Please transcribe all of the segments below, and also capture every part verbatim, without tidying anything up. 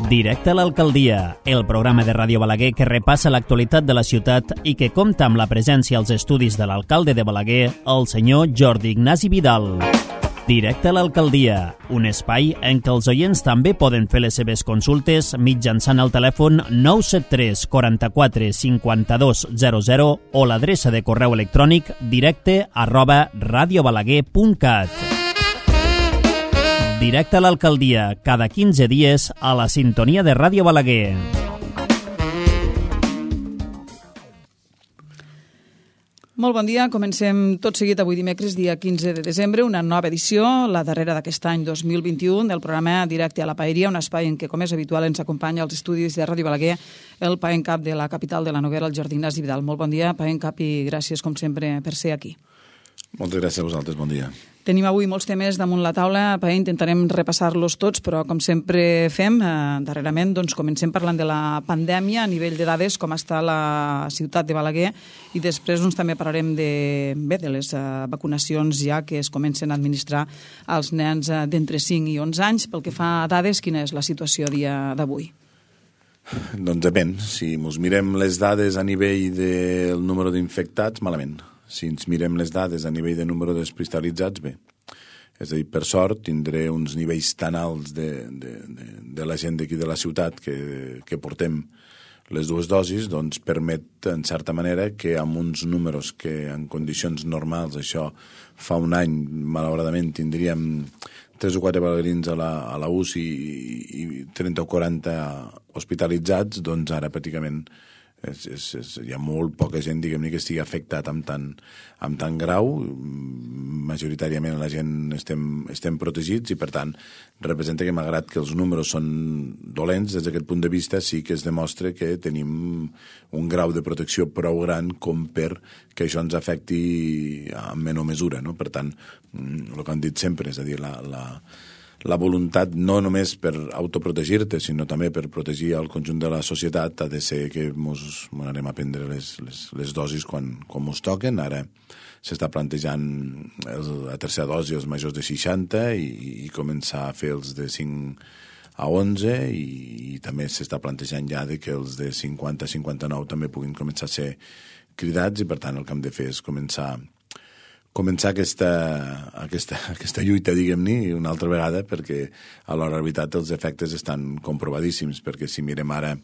Directe a l'Alcaldia, el programa de Ràdio Balaguer que repassa l'actualitat de la ciutat i que compta amb la presència als estudis de l'alcalde de Balaguer, el senyor Jordi Ignasi Vidal. Directe a l'Alcaldia, un espai en què els oients també poden fer les seves consultes mitjançant el telèfon nou set tres quaranta-quatre cinquanta-dos zero zero o l'adreça de correu electrònic directe arroba radiobalaguer punt cat. Directe a l'Alcaldia, cada quinze dies a la sintonia de Ràdio Balaguer. Molt bon dia, comencem tot seguit avui dimecres, dia quinze de desembre, una nova edició, la darrera d'aquest any dos mil vint-i-u, del programa Directe a la Paeria, un espai en què, com és habitual, ens acompanya als estudis de Ràdio Balaguer el paencap de la capital de la Noguera, el Jordi Ignasi Vidal. Molt bon dia, paencap, i gràcies, com sempre, per ser aquí. Moltes gràcies a vosaltres, bon dia. Tenim avui molts temes damunt la taula, Pae, intentarem repassar-los tots, però com sempre fem, eh, darrerament doncs, comencem parlant de la pandèmia a nivell de dades, com està la ciutat de Balaguer, i després doncs, també parlarem de, bé, de les eh, vacunacions ja que es comencen a administrar als nens eh, d'entre cinc i onze anys. Pel que fa a dades, quina és la situació a dia d'avui? Doncs depèn. Si ens mirem les dades a nivell del número d'infectats, malament. Si ens mirem les dades a nivell de número d'hospitalitzats, bé. És a dir, per sort, tindré uns nivells tan alts de, de, de, de la gent d'aquí de la ciutat que, que portem les dues dosis, doncs permet, en certa manera, que amb uns números que en condicions normals, això fa un any, malauradament, tindríem tres o quatre balaguerins a la, a la U C I i, i trenta o quaranta hospitalitzats, doncs ara pràcticament És, és, és, hi ha molt poca gent, diguem-ne, que estigui afectat amb tant, amb tant grau. Majoritàriament la gent estem, estem protegits i, per tant, representa que, malgrat que els números són dolents, des d'aquest punt de vista sí que es demostra que tenim un grau de protecció prou gran com per que això ens afecti en menor mesura, no? Per tant, el que han dit sempre, és a dir, la... la La voluntat, no només per autoprotegir-te, sinó també per protegir el conjunt de la societat, ha de ser que ens anem a prendre les, les, les dosis quan, quan ens toquen. Ara s'està plantejant el, la tercera dosi als majors de seixanta i, i començar a fer els de cinc a onze i, i també s'està plantejant ja de que els de cinquanta a cinquanta-nou també puguin començar a ser cridats i, per tant, el que hem de fer és començar començar aquesta, aquesta, aquesta lluita, diguem-ne, una altra vegada, perquè a l'hora de la veritat els efectes estan comprovadíssims, perquè si mirem ara,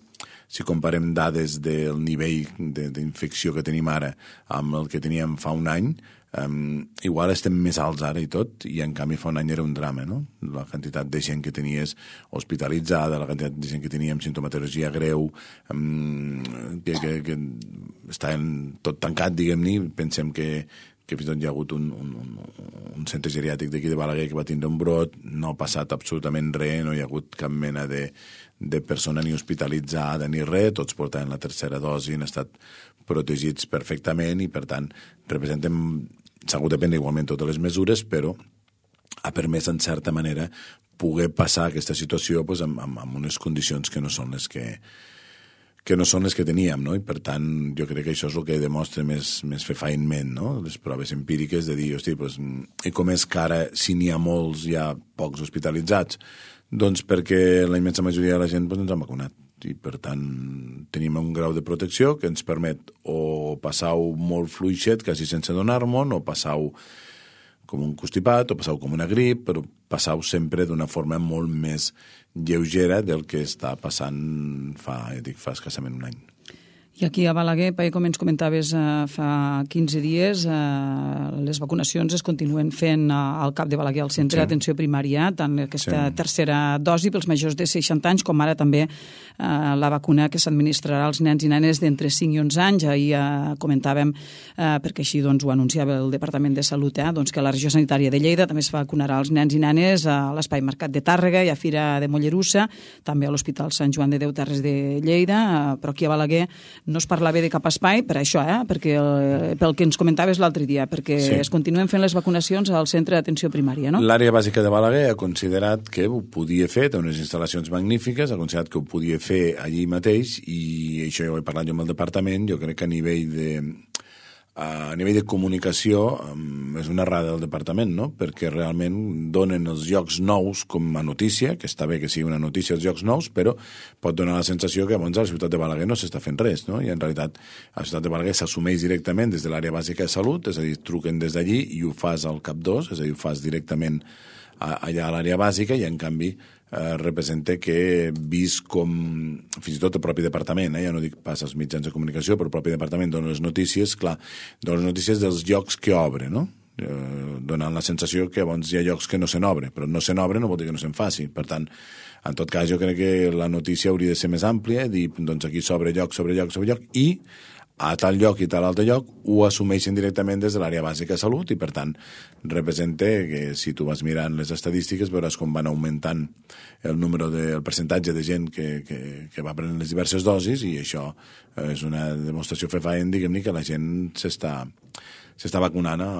si comparem dades del nivell d'infecció que tenim ara amb el que teníem fa un any, um, igual estem més alts ara i tot, i en canvi fa un any era un drama, no? La quantitat de gent que tenies hospitalitzada, la quantitat de gent que tenia amb sintomatologia greu, um, que, que, que estaven tot tancat, diguem-ne, pensem que que fins i tot hi ha hagut un, un, un, un centre geriàtric d'aquí de Balaguer que va tindre un brot, no ha passat absolutament res, no hi ha hagut cap mena de, de persona ni hospitalitzada ni res, tots portaven la tercera dosi, han estat protegits perfectament i, per tant, representem, s'ha hagut de prendre igualment totes les mesures, però ha permès, en certa manera, poder passar aquesta situació pues, amb, amb, amb unes condicions que no són les que que no són les que teníem, no? I per tant jo crec que això és el que demostra més, més fefaentment, no? Les proves empíriques de dir, hosti, pues, i com és que ara, si n'hi ha molts, hi ha pocs hospitalitzats? Doncs perquè la immensa majoria de la gent pues, ens ha vacunat i per tant tenim un grau de protecció que ens permet o passar-ho molt fluixet, quasi sense donar-me'n, o passar-ho com un constipat, o passar-ho com una grip, però passar-ho sempre d'una forma molt més lleugera del que està passant fa, ja dic, fa escassament un any. I aquí a Balaguer, Pae, com ens comentaves eh, fa quinze dies, eh, les vacunacions es continuen fent eh, al CAP de Balaguer, al centre sí. d'atenció primària, tant aquesta sí. tercera dosi pels majors de seixanta anys, com ara també eh, la vacuna que s'administrarà als nens i nenes d'entre cinc i onze anys. Ahir eh, comentàvem, eh, perquè així doncs, ho anunciava el Departament de Salut, eh, doncs, que la regió sanitària de Lleida també es vacunarà als nens i nenes a l'Espai Mercat de Tàrrega i a Fira de Mollerussa, també a l'Hospital Sant Joan de Déu Terres de Lleida, eh, però aquí a Balaguer no es parlava de cap espai per això, eh? perquè el, pel que ens comentaves l'altre dia, perquè sí. es continuen fent les vacunacions al centre d'atenció primària, no? L'àrea bàsica de Balaguer ha considerat que ho podia fer, té unes instal·lacions magnífiques, ha considerat que ho podia fer allí mateix i això ja ho he parlat jo amb el departament, jo crec que a nivell de a nivell de comunicació és una errada del departament, no? Perquè realment donen els llocs nous com a notícia, que està bé que sigui una notícia els llocs nous, però pot donar la sensació que llavors a la ciutat de Balaguer no s'està fent res, no? I en realitat a la ciutat de Balaguer s'assumeix directament des de l'àrea bàsica de salut, és a dir, truquen des d'allí i ho fas al cap dos, és a dir, ho fas directament allà a l'àrea bàsica i en canvi eh, representa que vist com fins i tot el propi departament, eh, ja no dic pas als mitjans de comunicació, però el propi departament dona les notícies, clar, dona les notícies dels llocs que obre, no? Eh, donant la sensació que llavors hi ha llocs que no se n'obre, però no se n'obre no vol dir que no se'n faci, per tant, en tot cas jo crec que la notícia hauria de ser més àmplia, dir, doncs aquí s'obre lloc, sobre lloc, sobre lloc, i a tal lloc i tal altre lloc ho assumeixen directament des de l'àrea bàsica de salut i, per tant, representa que si tu vas mirant les estadístiques veuràs com van augmentant el número de, el percentatge de gent que, que, que va prenent les diverses dosis i això és una demostració fefaent, diguem-ne, que la gent s'està s'està vacunant a,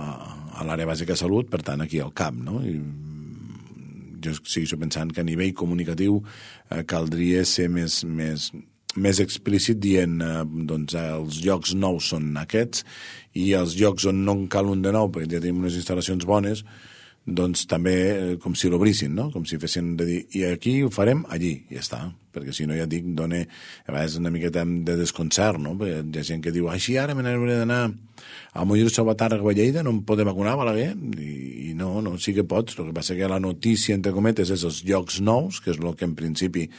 a l'àrea bàsica de salut, per tant, aquí al cap, no? I jo segueixo pensant que a nivell comunicatiu eh, caldria ser més... més més explícit dient eh, doncs els llocs nous són aquests i els llocs on no en cal un de nou perquè ja tenim unes instal·lacions bones doncs també eh, com si l'obrissin, no? Com si fessin de dir, i aquí ho farem allí, i ja està, perquè si no ja dic, dona a vegades una miqueta de desconcert, no? Perquè hi ha gent que diu, així ara me n'hauré d'anar a Mollir Salvatàrrega a Lleida, no em podem vacunar a Balaguer, I, i no, no, sí que pots, el que passa que la notícia, entre cometes, és els llocs nous, que és el que en principi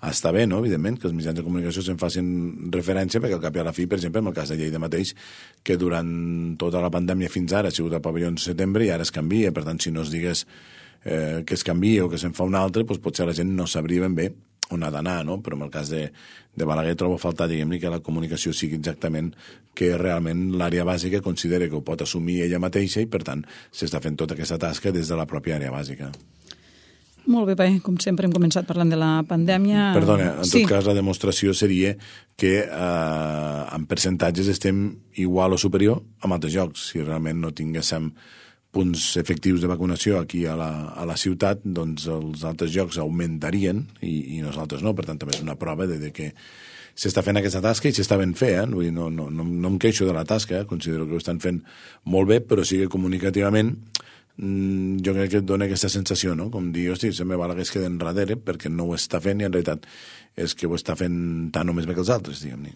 està bé, no? Evidentment, que els mitjans de comunicació se'n facin referència, perquè al cap i a la fi, per exemple, en el cas de Lleida mateix, que durant tota la pandèmia fins ara ha sigut al pavelló de setembre i ara es canvia, per tant, si no es digués eh, que es canvia o que se'n fa un altre, doncs potser la gent no sabria ben bé on ha d'anar, no? Però en el cas de, de Balaguer trobo a faltar, diguem-ne, que la comunicació sigui exactament que realment l'àrea bàsica considera que ho pot assumir ella mateixa i, per tant, s'està fent tota aquesta tasca des de la pròpia àrea bàsica. Molt bé, Pai. Com sempre hem començat parlant de la pandèmia. Perdona, en sí. tot cas la demostració seria que eh, en percentatges estem igual o superior amb altres jocs. Si realment no tinguéssim punts efectius de vacunació aquí a la, a la ciutat, doncs els altres jocs augmentarien i, i nosaltres no. Per tant, també és una prova de, de que s'està fent aquesta tasca i s'està ben fer. Eh? Vull dir, no, no, no, no em queixo de la tasca, eh? Considero que ho estan fent molt bé, però sí que comunicativament jo crec que et dona aquesta sensació, no? Com dir, hosti, se me Balaguer es queda enrere perquè no ho està fent i en realitat és que ho està fent tant o més bé que els altres, diguem-ne.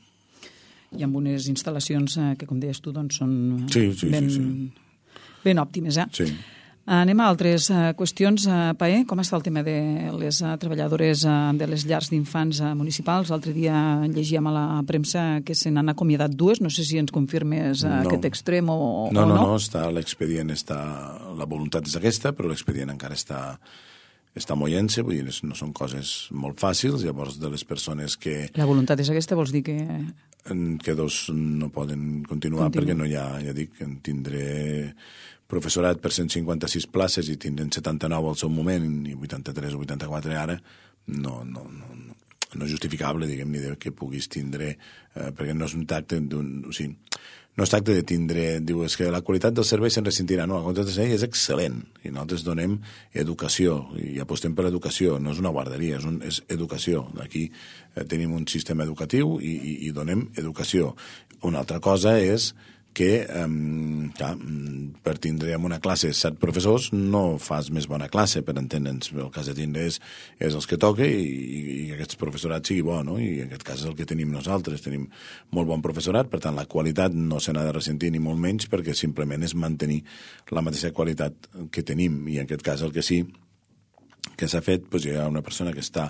I amb unes instal·lacions que, com deies tu, doncs són sí, sí, ben, sí, sí. ben òptimes, eh? Sí. Anem a altres uh, qüestions. Uh, Paé, com està el tema de les uh, treballadores uh, de les llars d'infants uh, municipals? L'altre dia llegíem a la premsa que se n'han acomiadat dues. No sé si ens confirmes uh, no. aquest extrem o no. No, no, no, no. Està, l'expedient està... La voluntat és aquesta, però l'expedient encara està, està moient-se. Vull dir, no són coses molt fàcils. Llavors, de les persones que... La voluntat és aquesta, vols dir que... Que dos no poden continuar Continua. Perquè no hi ha, ja dic, en tindré... professorat per cent cinquanta-sis places i tindrem setanta-nou al seu moment i vuitanta-tres o vuitanta-quatre ara, no, no, no, no és justificable, diguem, ni que puguis tindre, eh, perquè no és un tacte d'un... O sigui, no es tracta de tindre... Diu, és que la qualitat del servei se'n ressentirà. No, la qualitat del servei és excel·lent i nosaltres donem educació i apostem per l'educació. No és una guarderia, és, un, és educació. Aquí eh, tenim un sistema educatiu i, i, i donem educació. Una altra cosa és que um, clar, per tindre en una classe set professors no fas més bona classe, per entendre'ns. El cas de tindre és, és els que toca i, i, i aquest professorat sigui bo, no? I en aquest cas és el que tenim nosaltres. Tenim molt bon professorat, per tant la qualitat no se n'ha de ressentir ni molt menys perquè simplement és mantenir la mateixa qualitat que tenim i en aquest cas el que sí que s'ha fet, doncs hi ha una persona que està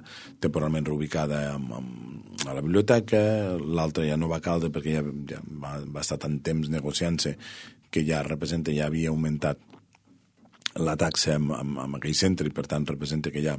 temporalment reubicada amb, amb, a la biblioteca, l'altra ja no va caldre perquè ja, ja va, va estar tant temps negociant-se que ja representa, ja havia augmentat la taxa en, en, en aquell centre i per tant representa que ja,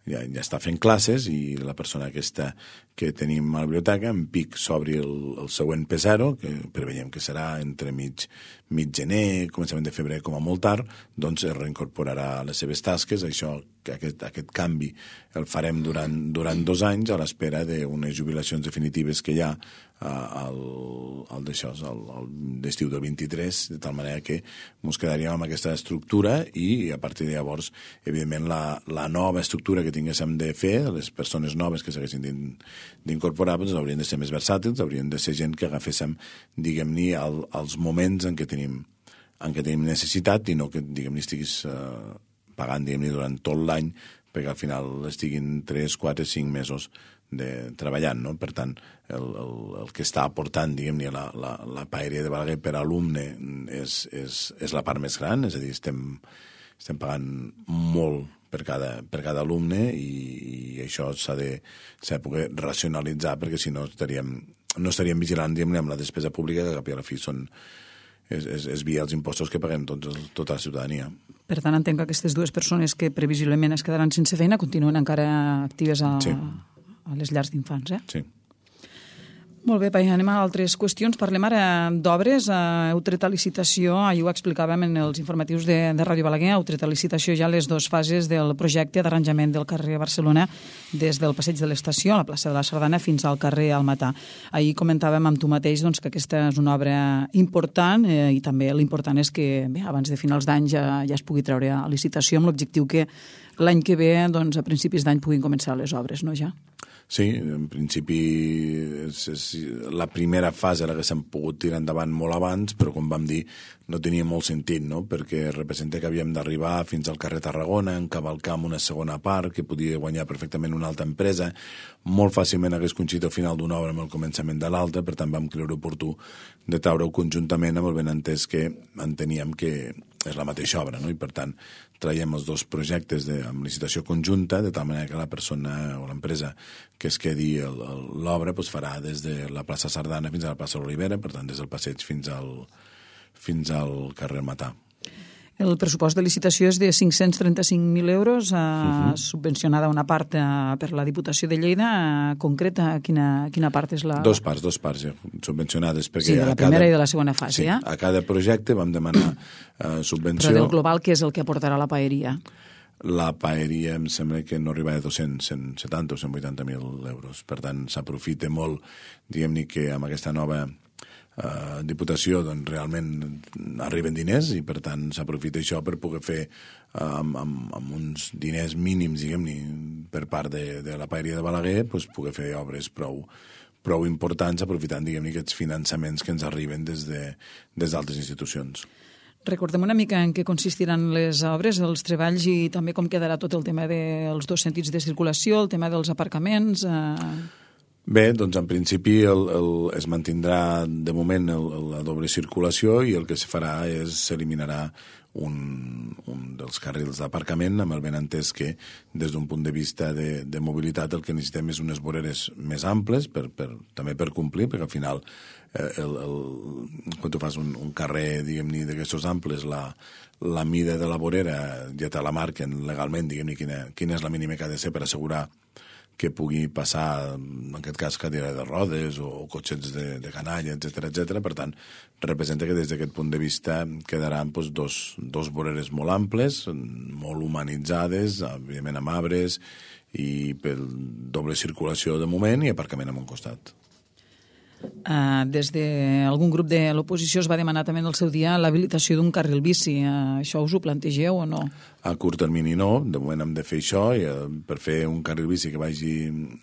ja, ja està fent classes i la persona aquesta que tenim a la biblioteca en pic s'obri el, el següent P zero, que preveiem que serà entre mig, mig gener, començament de febrer com a molt tard, doncs es reincorporarà a les seves tasques. Això, aquest, aquest canvi el farem durant, durant dos anys a l'espera d'unes jubilacions definitives que hi ha al, al d'això, al, al d'estiu del vint-i-tres, de tal manera que ens quedaríem amb aquesta estructura i a partir de llavors, evidentment, la, la nova estructura que tinguéssim de fer, les persones noves que s'haguessin d'incorporar, doncs haurien de ser més versàtils, haurien de ser gent que agaféssim, diguem-ne, el, els moments en què tenim, en què tenim necessitat i no que, diguem-ne, estiguis eh, pagant, diguem-ne, durant tot l'any, perquè al final estiguin tres, quatre, cinc mesos de, treballant, no? Per tant, el, el, el que està aportant, diguem-ne, la, la, la paeria de Balaguer per alumne és, és, és la part més gran, és a dir, estem, estem pagant molt per cada, per cada alumne i, i això s'ha de, s'ha de poder racionalitzar, perquè si no estaríem, no estaríem vigilant, diguem-ne, amb la despesa pública, que cap i a la fi són és, és, és via els impostos que paguem tots, tota la ciutadania. Per tant, entenc que aquestes dues persones que previsiblement es quedaran sense feina continuen encara actives a, sí. a les llars d'infants, eh? Sí. Molt bé, Pai, anem a altres qüestions. Parlem ara d'obres. Heu tret a licitació, ahir ho explicàvem en els informatius de, de Ràdio Balaguer, heu tret a licitació ja les dues fases del projecte d'arranjament del carrer Barcelona des del passeig de l'Estació, a la plaça de la Sardana, fins al carrer Almatà. Ahir comentàvem amb tu mateix doncs, que aquesta és una obra important eh, i també l'important és que bé, abans de finals d'any ja, ja es pugui treure a licitació amb l'objectiu que l'any que ve, doncs, a principis d'any, puguin començar les obres, no ja? Sí, en principi és, és la primera fase la que s'han pogut tirar endavant molt abans, però com vam dir no tenia molt sentit, no? Perquè representa que havíem d'arribar fins al carrer Tarragona, encavalcar amb una segona part que podia guanyar perfectament una altra empresa, molt fàcilment hagués coincidit al final d'una obra amb el començament de l'altra, per tant vam creure oportú de treure-ho conjuntament amb el benentès que enteníem que és la mateixa obra, no? I per tant traiem els dos projectes de, amb licitació conjunta, de tal manera que la persona o l'empresa que es quedi l'obra pues, farà des de la plaça Sardana fins a la plaça Olivera, per tant des del passeig fins al, fins al carrer Matà. El pressupost de licitació és de cinc-cents trenta-cinc mil euros, eh, uh-huh. subvencionada una part eh, per la Diputació de Lleida. Eh, concreta, quina, quina part és la... Dos parts, dos parts ja, subvencionades. Perquè sí, de la primera cada... i de la segona fase, sí, eh? A cada projecte vam demanar eh, subvenció... Però del global, què és el que aportarà la paeria? La paeria em sembla que no arriba a dos-cents, cent setanta o cent vuitanta mil euros. Per tant, s'aprofita molt, diguem-ne, que amb aquesta nova... Uh, Diputació, doncs realment arriben diners i per tant s'aprofita això per poder fer uh, amb, amb, amb uns diners mínims, diguem-ne, per part de, de la paeria de Balaguer, doncs poder fer obres prou, prou importants aprofitant, diguem-ne, aquests finançaments que ens arriben des de, des d'altres institucions. Recordem una mica en què consistiran les obres, els treballs i també com quedarà tot el tema dels dos sentits de circulació, el tema dels aparcaments... Uh... Bé, doncs en principi el, el, es mantindrà de moment el, el, la doble circulació i el que se farà és s'eliminarà un, un dels carrils d'aparcament amb el benentès que des d'un punt de vista de, de mobilitat el que necessitem és unes voreres més amples per, per, també per complir, perquè al final eh, el, el, quan tu fas un, un carrer diguem-ne d'aquestos amples la, la mida de la vorera ja te la marquen legalment, diguem-ne quina, quina és la mínima que ha de ser per assegurar que pugui passar, en aquest cas, cadira de rodes o, o cotxets de, de canalla, etcètera, etcètera. Per tant, representa que des d'aquest punt de vista quedaran doncs, dos, dos voreres molt amples, molt humanitzades, evidentment amb arbres i per doble circulació de moment i aparcament a un costat. Uh, des d'algun grup de l'oposició es va demanar també en el seu dia l'habilitació d'un carril bici. Uh, això us ho plantegeu o no? A curt termini no, de moment hem de fer això i uh, per fer un carril bici que vagi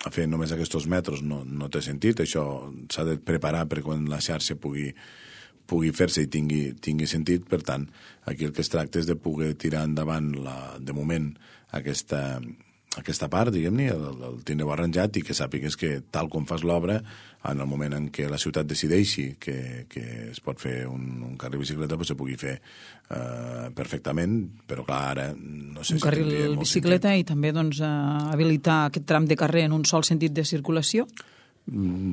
a fer només aquests metres no, no té sentit, això s'ha de preparar per quan la xarxa pugui, pugui fer-se i tingui, tingui sentit, per tant aquí el que es tracta és de poder tirar endavant la, de moment aquesta, aquesta part, diguem-ne, el, el tindreu arranjat i que sàpigues que tal com fas l'obra, en el moment en què la ciutat decideixi que, que es pot fer un, un carril bicicleta, doncs se pugui fer uh, perfectament, però clar, ara no sé un si carril bicicleta sentit. I també doncs, uh, habilitar aquest tram de carrer en un sol sentit de circulació?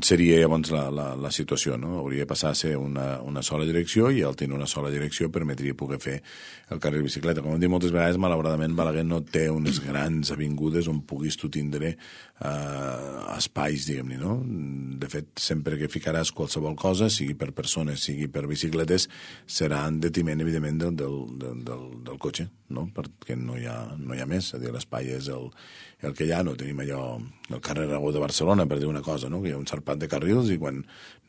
seria llavors la, la, la situació, no? Hauria de passar a ser una, una sola direcció i al tenir una sola direcció permetria poder fer el carril bicicleta. Com hem dit moltes vegades, malauradament Balaguer no té unes grans avingudes on puguis tu tindre eh, espais, diguem-ne, no? De fet, sempre que ficaràs qualsevol cosa, sigui per persones, sigui per bicicletes, serà en detiment, evidentment, del, del, del, del, del cotxe, no? Perquè no hi ha, no hi ha més, és a dir, l'espai és el, el que hi ha, no tenim allò, el carrer Aragó de Barcelona, per dir una cosa, no? Que hi ha un sarpat de carrils i quan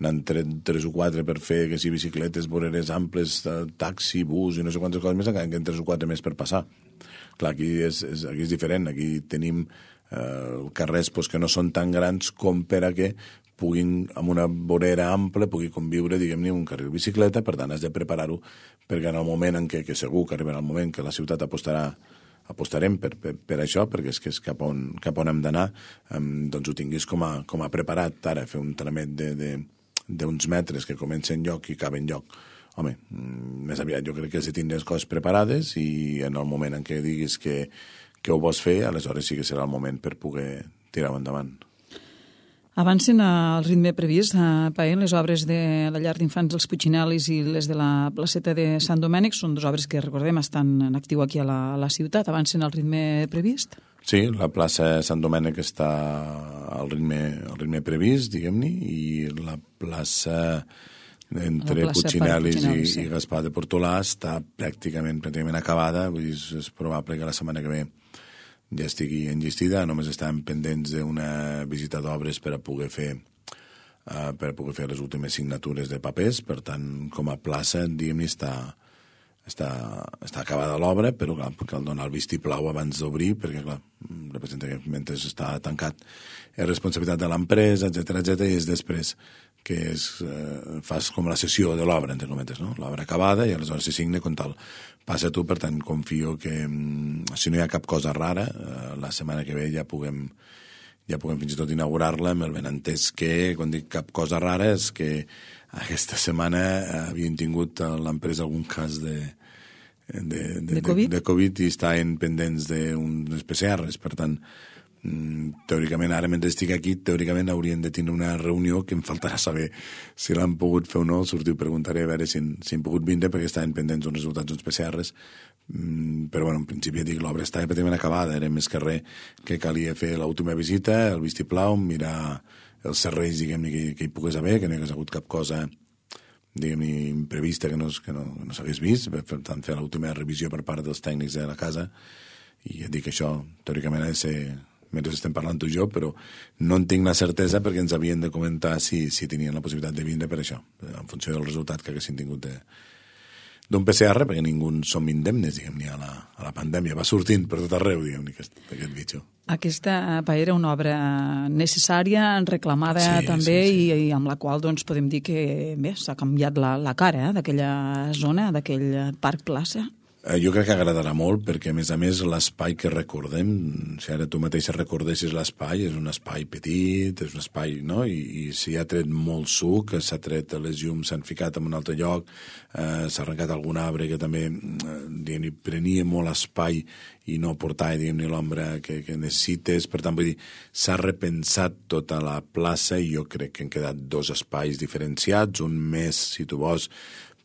n'han tret tres o quatre per fer que si bicicletes, voreres amples, taxi, bus i no sé quantes coses més, encara que en tres o quatre més per passar. Clar, aquí és, és, aquí és diferent, aquí tenim eh, carrers pues, que no són tan grans com per a que puguin, amb una vorera ampla, pugui conviure, diguem-ne, un carril bicicleta, per tant, has de preparar-ho perquè en el moment en què, que segur que arribarà el moment que la ciutat apostarà apostarem per, per, per això, perquè és que és cap on, cap on hem d'anar, um, doncs ho tinguis com a, com a preparat, ara, fer un tramet d'uns metres que comença en lloc i acaba en lloc. Home, més aviat jo crec que has de tindre les coses preparades i en el moment en què diguis que, que ho vols fer, aleshores sí que serà el moment per poder tirar-ho endavant. Avancen al ritme previst, eh, Paer, les obres de la llar d'infants dels Puigcinelis i les de la placeta de Sant Domènec, són dues obres que, recordem, estan en actiu aquí a la, a la ciutat. Avancen al ritme previst? Sí, la plaça Sant Domènec està al ritme, al ritme previst, diguem-ne, i la plaça entre Puigcinelis i, sí. i Gaspar de Portolà està pràcticament, pràcticament acabada, vull dir, és probable que la setmana que ve ja estigui enllestida, només estàvem pendents d'una visita d'obres per a poder fer uh, per a poder fer les últimes signatures de papers, per tant, com a plaça, diguem-ne, està, està, està acabada l'obra, però clar, cal donar el vistiplau abans d'obrir, perquè clar, representa que mentre està tancat és responsabilitat de l'empresa, etcètera, etcètera, i és després que és, eh, fas com la sessió de l'obra, entre cometes, no? L'obra acabada i aleshores se signa com tal. Passa tu, per tant, confio que si no hi ha cap cosa rara, eh, la setmana que ve ja puguem, ja puguem fins i tot inaugurar-la amb el benentès que, quan dic cap cosa rara, és que aquesta setmana havien tingut a l'empresa algun cas de, de, de, de, COVID? de, de Covid i estaven pendents d'uns P C Rs, per tant, teòricament, ara mentre estic aquí, teòricament haurien de tenir una reunió que em faltarà saber si l'han pogut fer o no, sortir, preguntaré a veure si, si han pogut vindre perquè estaven pendents uns resultats d'uns P C Rs, però bueno, en principi dic, l'obra estava pràcticament acabada, era més que res que calia fer l'última visita, el vistiplau, mirar els serveis, diguem-ne, que, que hi pogués haver, que no hi hagués hagut cap cosa, diguem-ne, imprevista que no, que no, no s'hagués vist, per tant, fer l'última revisió per part dels tècnics de la casa, i ja dic que això, teòricament, ha de ser mentre estem parlant tu i jo, però no en tinc la certesa perquè ens havien de comentar si, si tenien la possibilitat de vindre per això, en funció del resultat que haguessin tingut d'un P C R, perquè ningú som indemnes, diguem-ne, a, la, a la pandèmia. Va sortint per tot arreu, diguem-ne, aquest, aquest bitxo. Aquesta era una obra necessària, reclamada sí, també, sí, sí. I, i amb la qual doncs, podem dir que bé, s'ha canviat la, la cara eh, d'aquella zona, d'aquell parc plaça. Jo crec que agradarà molt perquè, a més a més, l'espai que recordem, si ara tu mateixa recordessis l'espai, és un espai petit, és un espai, no? I, i s'hi ha tret molt suc, s'ha tret les llums, s'han ficat en un altre lloc, eh, s'ha arrencat algun arbre que també eh, prenia molt espai i no portava, diguem-ne, l'ombra que, que necessites. Per tant, vull dir, s'ha repensat tota la plaça i jo crec que han quedat dos espais diferenciats, un més, si tu vols,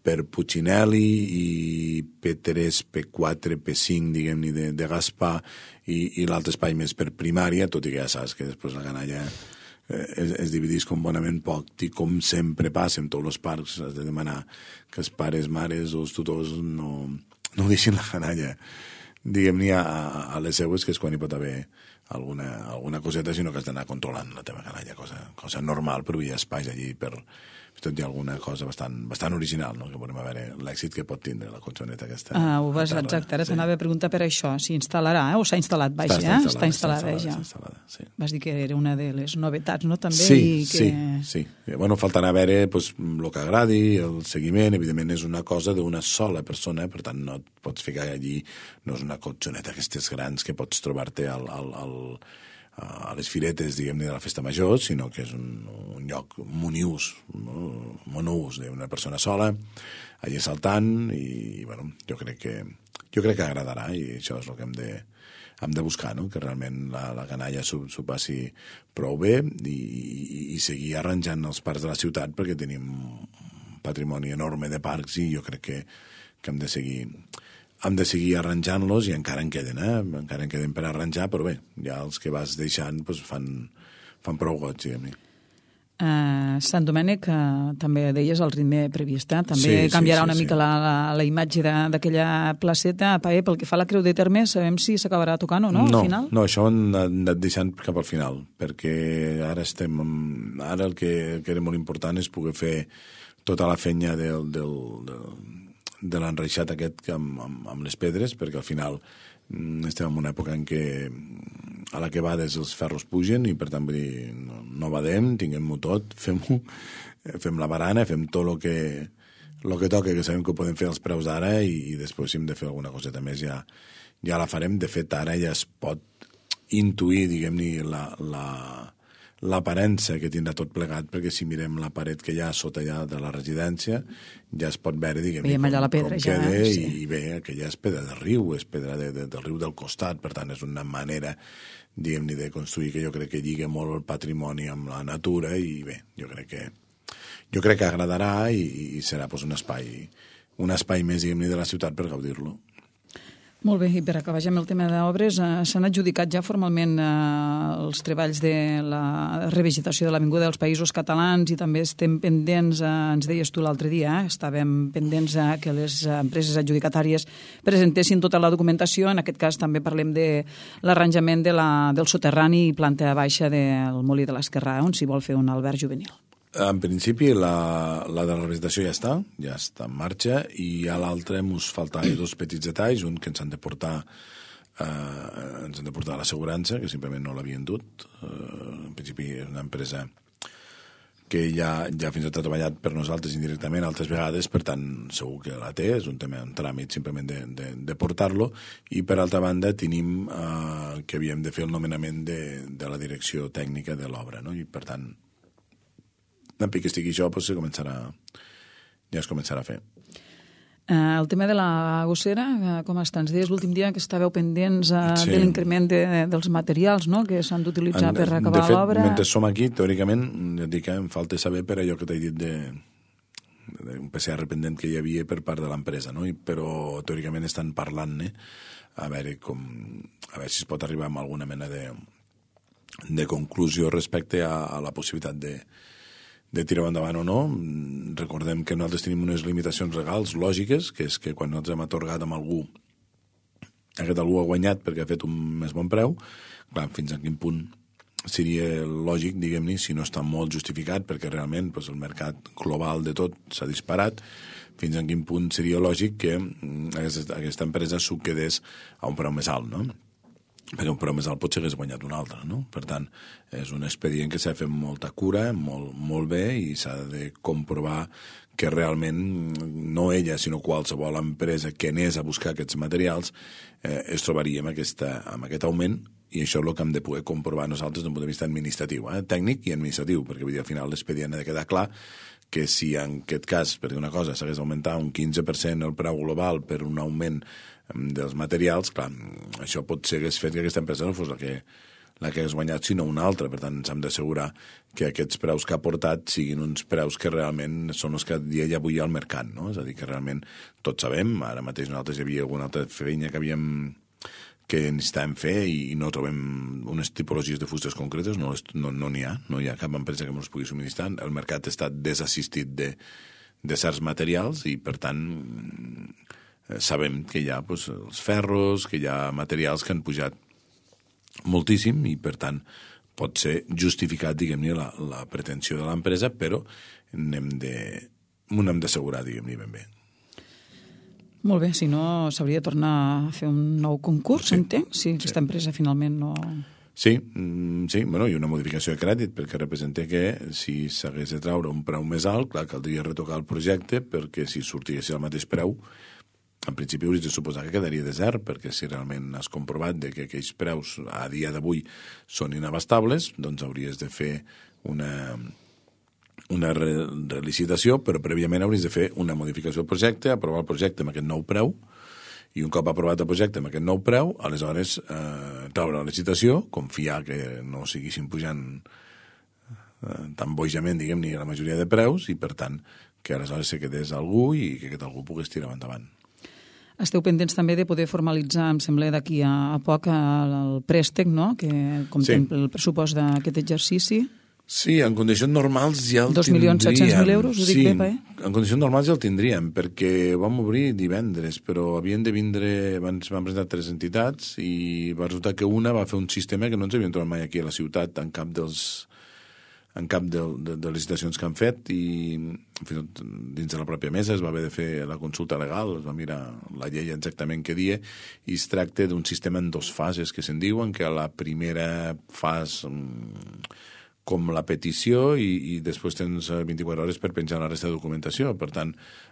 per Puigcinelli i P tres, P quatre, P cinc, diguem-ne, de, de Gaspar, i, i l'altre espai més per primària, tot i que ja saps que després la canalla eh, es, es dividís com bonament poc, i com sempre passa en tots els parcs, has de demanar que els pares, mares o els tutors no, no deixin la canalla, diguem-ne, a, a les seues, que és quan hi pot haver alguna, alguna coseta, sinó que has d'anar controlant la teva canalla, cosa, cosa normal, però hi ha espais allí per... tot hi ha alguna cosa bastant, bastant original, no? Que podem veure l'èxit que pot tindre la colxoneta aquesta. Ah, ho vas, exacte, ara sí. T'anava a preguntar per això, si instal·larà, eh? O s'ha instal·lat, vaja, està, està està instal·lada, està ja. Està instal·lada, sí. Vas dir que era una de les novetats, no? També, sí, i que... sí, sí. Bueno, faltarà veure pues, el que agradi, el seguiment, evidentment és una cosa d'una sola persona, per tant no et pots ficar allí, no és una colxoneta aquestes grans que pots trobar-te al... al, al a les firetes, diguem-ne, de la festa major, sinó que és un, un lloc moniús, no? monús d'una persona sola, allà saltant, i, bueno, jo crec que jo crec que agradarà, i això és el que hem de, hem de buscar, no?, que realment la, la canalla s'ho passi prou bé i, i, i seguir arranjant els parcs de la ciutat, perquè tenim un patrimoni enorme de parcs i jo crec que, que hem de seguir hem de seguir arranjant-los, i encara en queden, eh? encara en queden per arranjar, però bé, ja els que vas deixant doncs, fan, fan prou goig, diguem-ne. Uh, Sant Domènec, uh, també deies el ritme previst, eh? també sí, canviarà sí, sí, una sí. mica la, la, la imatge d'aquella placeta. Paé, pel que fa a la Creu de Terme, sabem si s'acabarà tocant o no, no al final? No, això ho hem anat deixant cap al final, perquè ara estem... Ara el que, que era molt important és poder fer tota la fenya del, del, del, de l'enreixat aquest amb, amb, amb les pedres, perquè al final estem en una època en què a la que vades els ferros pugen i per tant vull dir, no, no badem, tinguem-ho tot, fem-ho, fem la barana, fem tot el que, lo que toca, que sabem que ho podem fer als preus d'ara i, i després si hem de fer alguna coseta més ja, ja la farem. De fet, ara ja es pot intuir, diguem-ne, la, la, l'aparença que tindrà tot plegat, perquè si mirem la paret que hi ha sota ja de la residència, ja es pot veure, diguem-ne, com, allà la pedra, com ja, queda, sí. i, i bé, aquella és pedra de riu, és pedra de, de, del riu del costat, per tant, és una manera, diguem-ne, de construir que jo crec que lliga molt el patrimoni amb la natura, i bé, jo crec que jo crec que agradarà i, i serà pues, un espai un espai més, diguem-ne, de la ciutat per gaudir-lo. Molt bé, i per acabar ja amb el tema d'obres, eh, s'han adjudicat ja formalment eh, els treballs de la revegetació de l'Avinguda dels Països Catalans i també estem pendents, eh, ens deies tu l'altre dia, eh, estàvem pendents eh, que les empreses adjudicatàries presentessin tota la documentació. En aquest cas també parlem de l'arranjament de la, del soterrani i planta baixa del Molí de l'Esquerrà, on s'hi vol fer un alberg juvenil. En principi, la, la de la representació ja està, ja està en marxa, i a l'altra ens faltaven dos petits detalls, un que ens han de portar eh, ens han de portar a l'assegurança, que simplement no l'havien dut. Eh, en principi és una empresa que ja, ja fins i tot ha treballat per nosaltres indirectament altres vegades, per tant segur que la té, és un tema, un tràmit simplement de, de, de portar-lo, i per altra banda tenim eh, que havíem de fer el nomenament de, de la direcció tècnica de l'obra, no? I per tant en pic que estigui això, doncs, començarà, ja es començarà a fer. Uh, el tema de la gossera, uh, com està? Ens deies l'últim dia que estàveu pendents uh, sí. de l'increment de, dels materials, no?, que s'han d'utilitzar per acabar l'obra. De fet, mentre som aquí, teòricament, ja dic que em falta saber per allò que t'he dit de, de un P C R pendent que hi havia per part de l'empresa, no? I, però teòricament estan parlant-ne a veure com, a veure si es pot arribar a alguna mena de, de conclusió respecte a, a la possibilitat de de tirar endavant o no. Recordem que nosaltres tenim unes limitacions legals lògiques, que és que quan nosaltres hem atorgat amb algú, aquest algú ha guanyat perquè ha fet un més bon preu, clar, fins a quin punt seria lògic, diguem-ne, si no està molt justificat, perquè realment doncs, el mercat global de tot s'ha disparat, fins a quin punt seria lògic que aquesta, aquesta empresa s'ho quedés a un preu més alt, no? Perquè un preu més alt potser hagués guanyat un altre, no? Per tant, és un expedient que s'ha de fer amb molta cura, molt, molt bé, i s'ha de comprovar que realment no ella, sinó qualsevol empresa que anés a buscar aquests materials eh, es trobaria amb, aquesta, amb aquest augment, i això és el que hem de poder comprovar nosaltres des d'un punt de vista administratiu, eh? Tècnic i administratiu, perquè vull dir, al final l'expedient ha de quedar clar que si en aquest cas, per dir una cosa, s'hagués augmentat un quinze per cent el preu global per un augment dels materials, clar, això pot ser que hagués fet que aquesta empresa no fos la que, la que hagués guanyat, sinó una altra. Per tant, ens hem d'assegurar que aquests preus que ha portat siguin uns preus que realment són els que dia ja avui al mercat, no? És a dir, que realment tots sabem, ara mateix nosaltres hi havia alguna altra feina que havíem que necessitàvem fer i no trobem unes tipologies de fustes concretes, no n'hi no, no ha, no hi ha cap empresa que ens pugui subministrar. El mercat està desassistit de, de certs materials i, per tant, sabem que hi ha doncs, els ferros, que hi ha materials que han pujat moltíssim i, per tant, pot ser justificat, diguem-ne, la, la pretensió de l'empresa, però n'hem de, n'hem d'assegurar, diguem-ne, ben bé. Molt bé, si no, s'hauria de tornar a fer un nou concurs, sí, entenc, si sí. Aquesta empresa finalment no... Sí, sí, bueno, i una modificació de crèdit, perquè representa que si s'hagués de treure un preu més alt, clar, caldria retocar el projecte, perquè si sortigués al mateix preu, en principi hauries de suposar que quedaria desert, perquè si realment has comprovat de que aquells preus a dia d'avui són inabastables, doncs hauries de fer una, una re relicitació, però prèviament hauries de fer una modificació del projecte, aprovar el projecte amb aquest nou preu, i un cop aprovat el projecte amb aquest nou preu, aleshores eh, treure la licitació, confiar que no seguissin pujant eh, tan bojament, diguem-ne, la majoria de preus, i per tant que aleshores se quedés algú i que aquest algú pogués tirar endavant. Esteu pendents també de poder formalitzar, em sembla, d'aquí a poc el préstec, no?, que contempla el pressupost d'aquest exercici. Sí, en condicions normals ja el dos milions set-cents mil euros, ho dic sí, bé, eh? En condicions normals ja el tindríem, perquè vam obrir divendres, però havien de vindre, abans van presentar tres entitats i va resultar que una va fer un sistema que no ens havíem trobat mai aquí a la ciutat en cap dels en cap de, de, de les licitacions que han fet, i fins i tot dins de la pròpia mesa es va haver de fer la consulta legal, es va mirar la llei exactament què dia, i es tracta d'un sistema en dos fases que se'n diuen, que a la primera fase com la petició i, i després tens vint-i-quatre hores per penjar la resta de documentació. Per tant,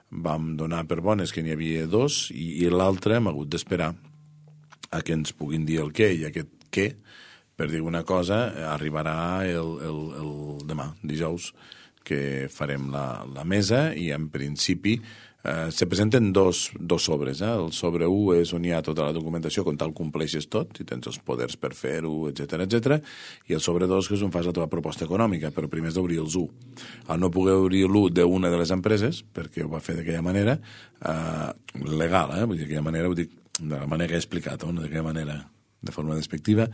vam donar per bones que n'hi havia dos i, i l'altre hem hagut d'esperar a que ens puguin dir el què, i aquest què, per dir una cosa, arribarà el, el, el demà, dijous, que farem la, la mesa i en principi eh, se presenten dos, dos sobres. Eh? El sobre u és on hi ha tota la documentació, on tal compleixes tot i tens els poders per fer-ho, etcètera, etcètera, i el sobre dos que és on fas la teva proposta econòmica, però primer has d'obrir els u. Al no poder obrir l'u d'una de les empreses, perquè ho va fer d'aquella manera, eh, legal, eh? Vull dir, d'aquella manera, vull dir, de la manera que he explicat, no d'aquella manera de forma despectiva,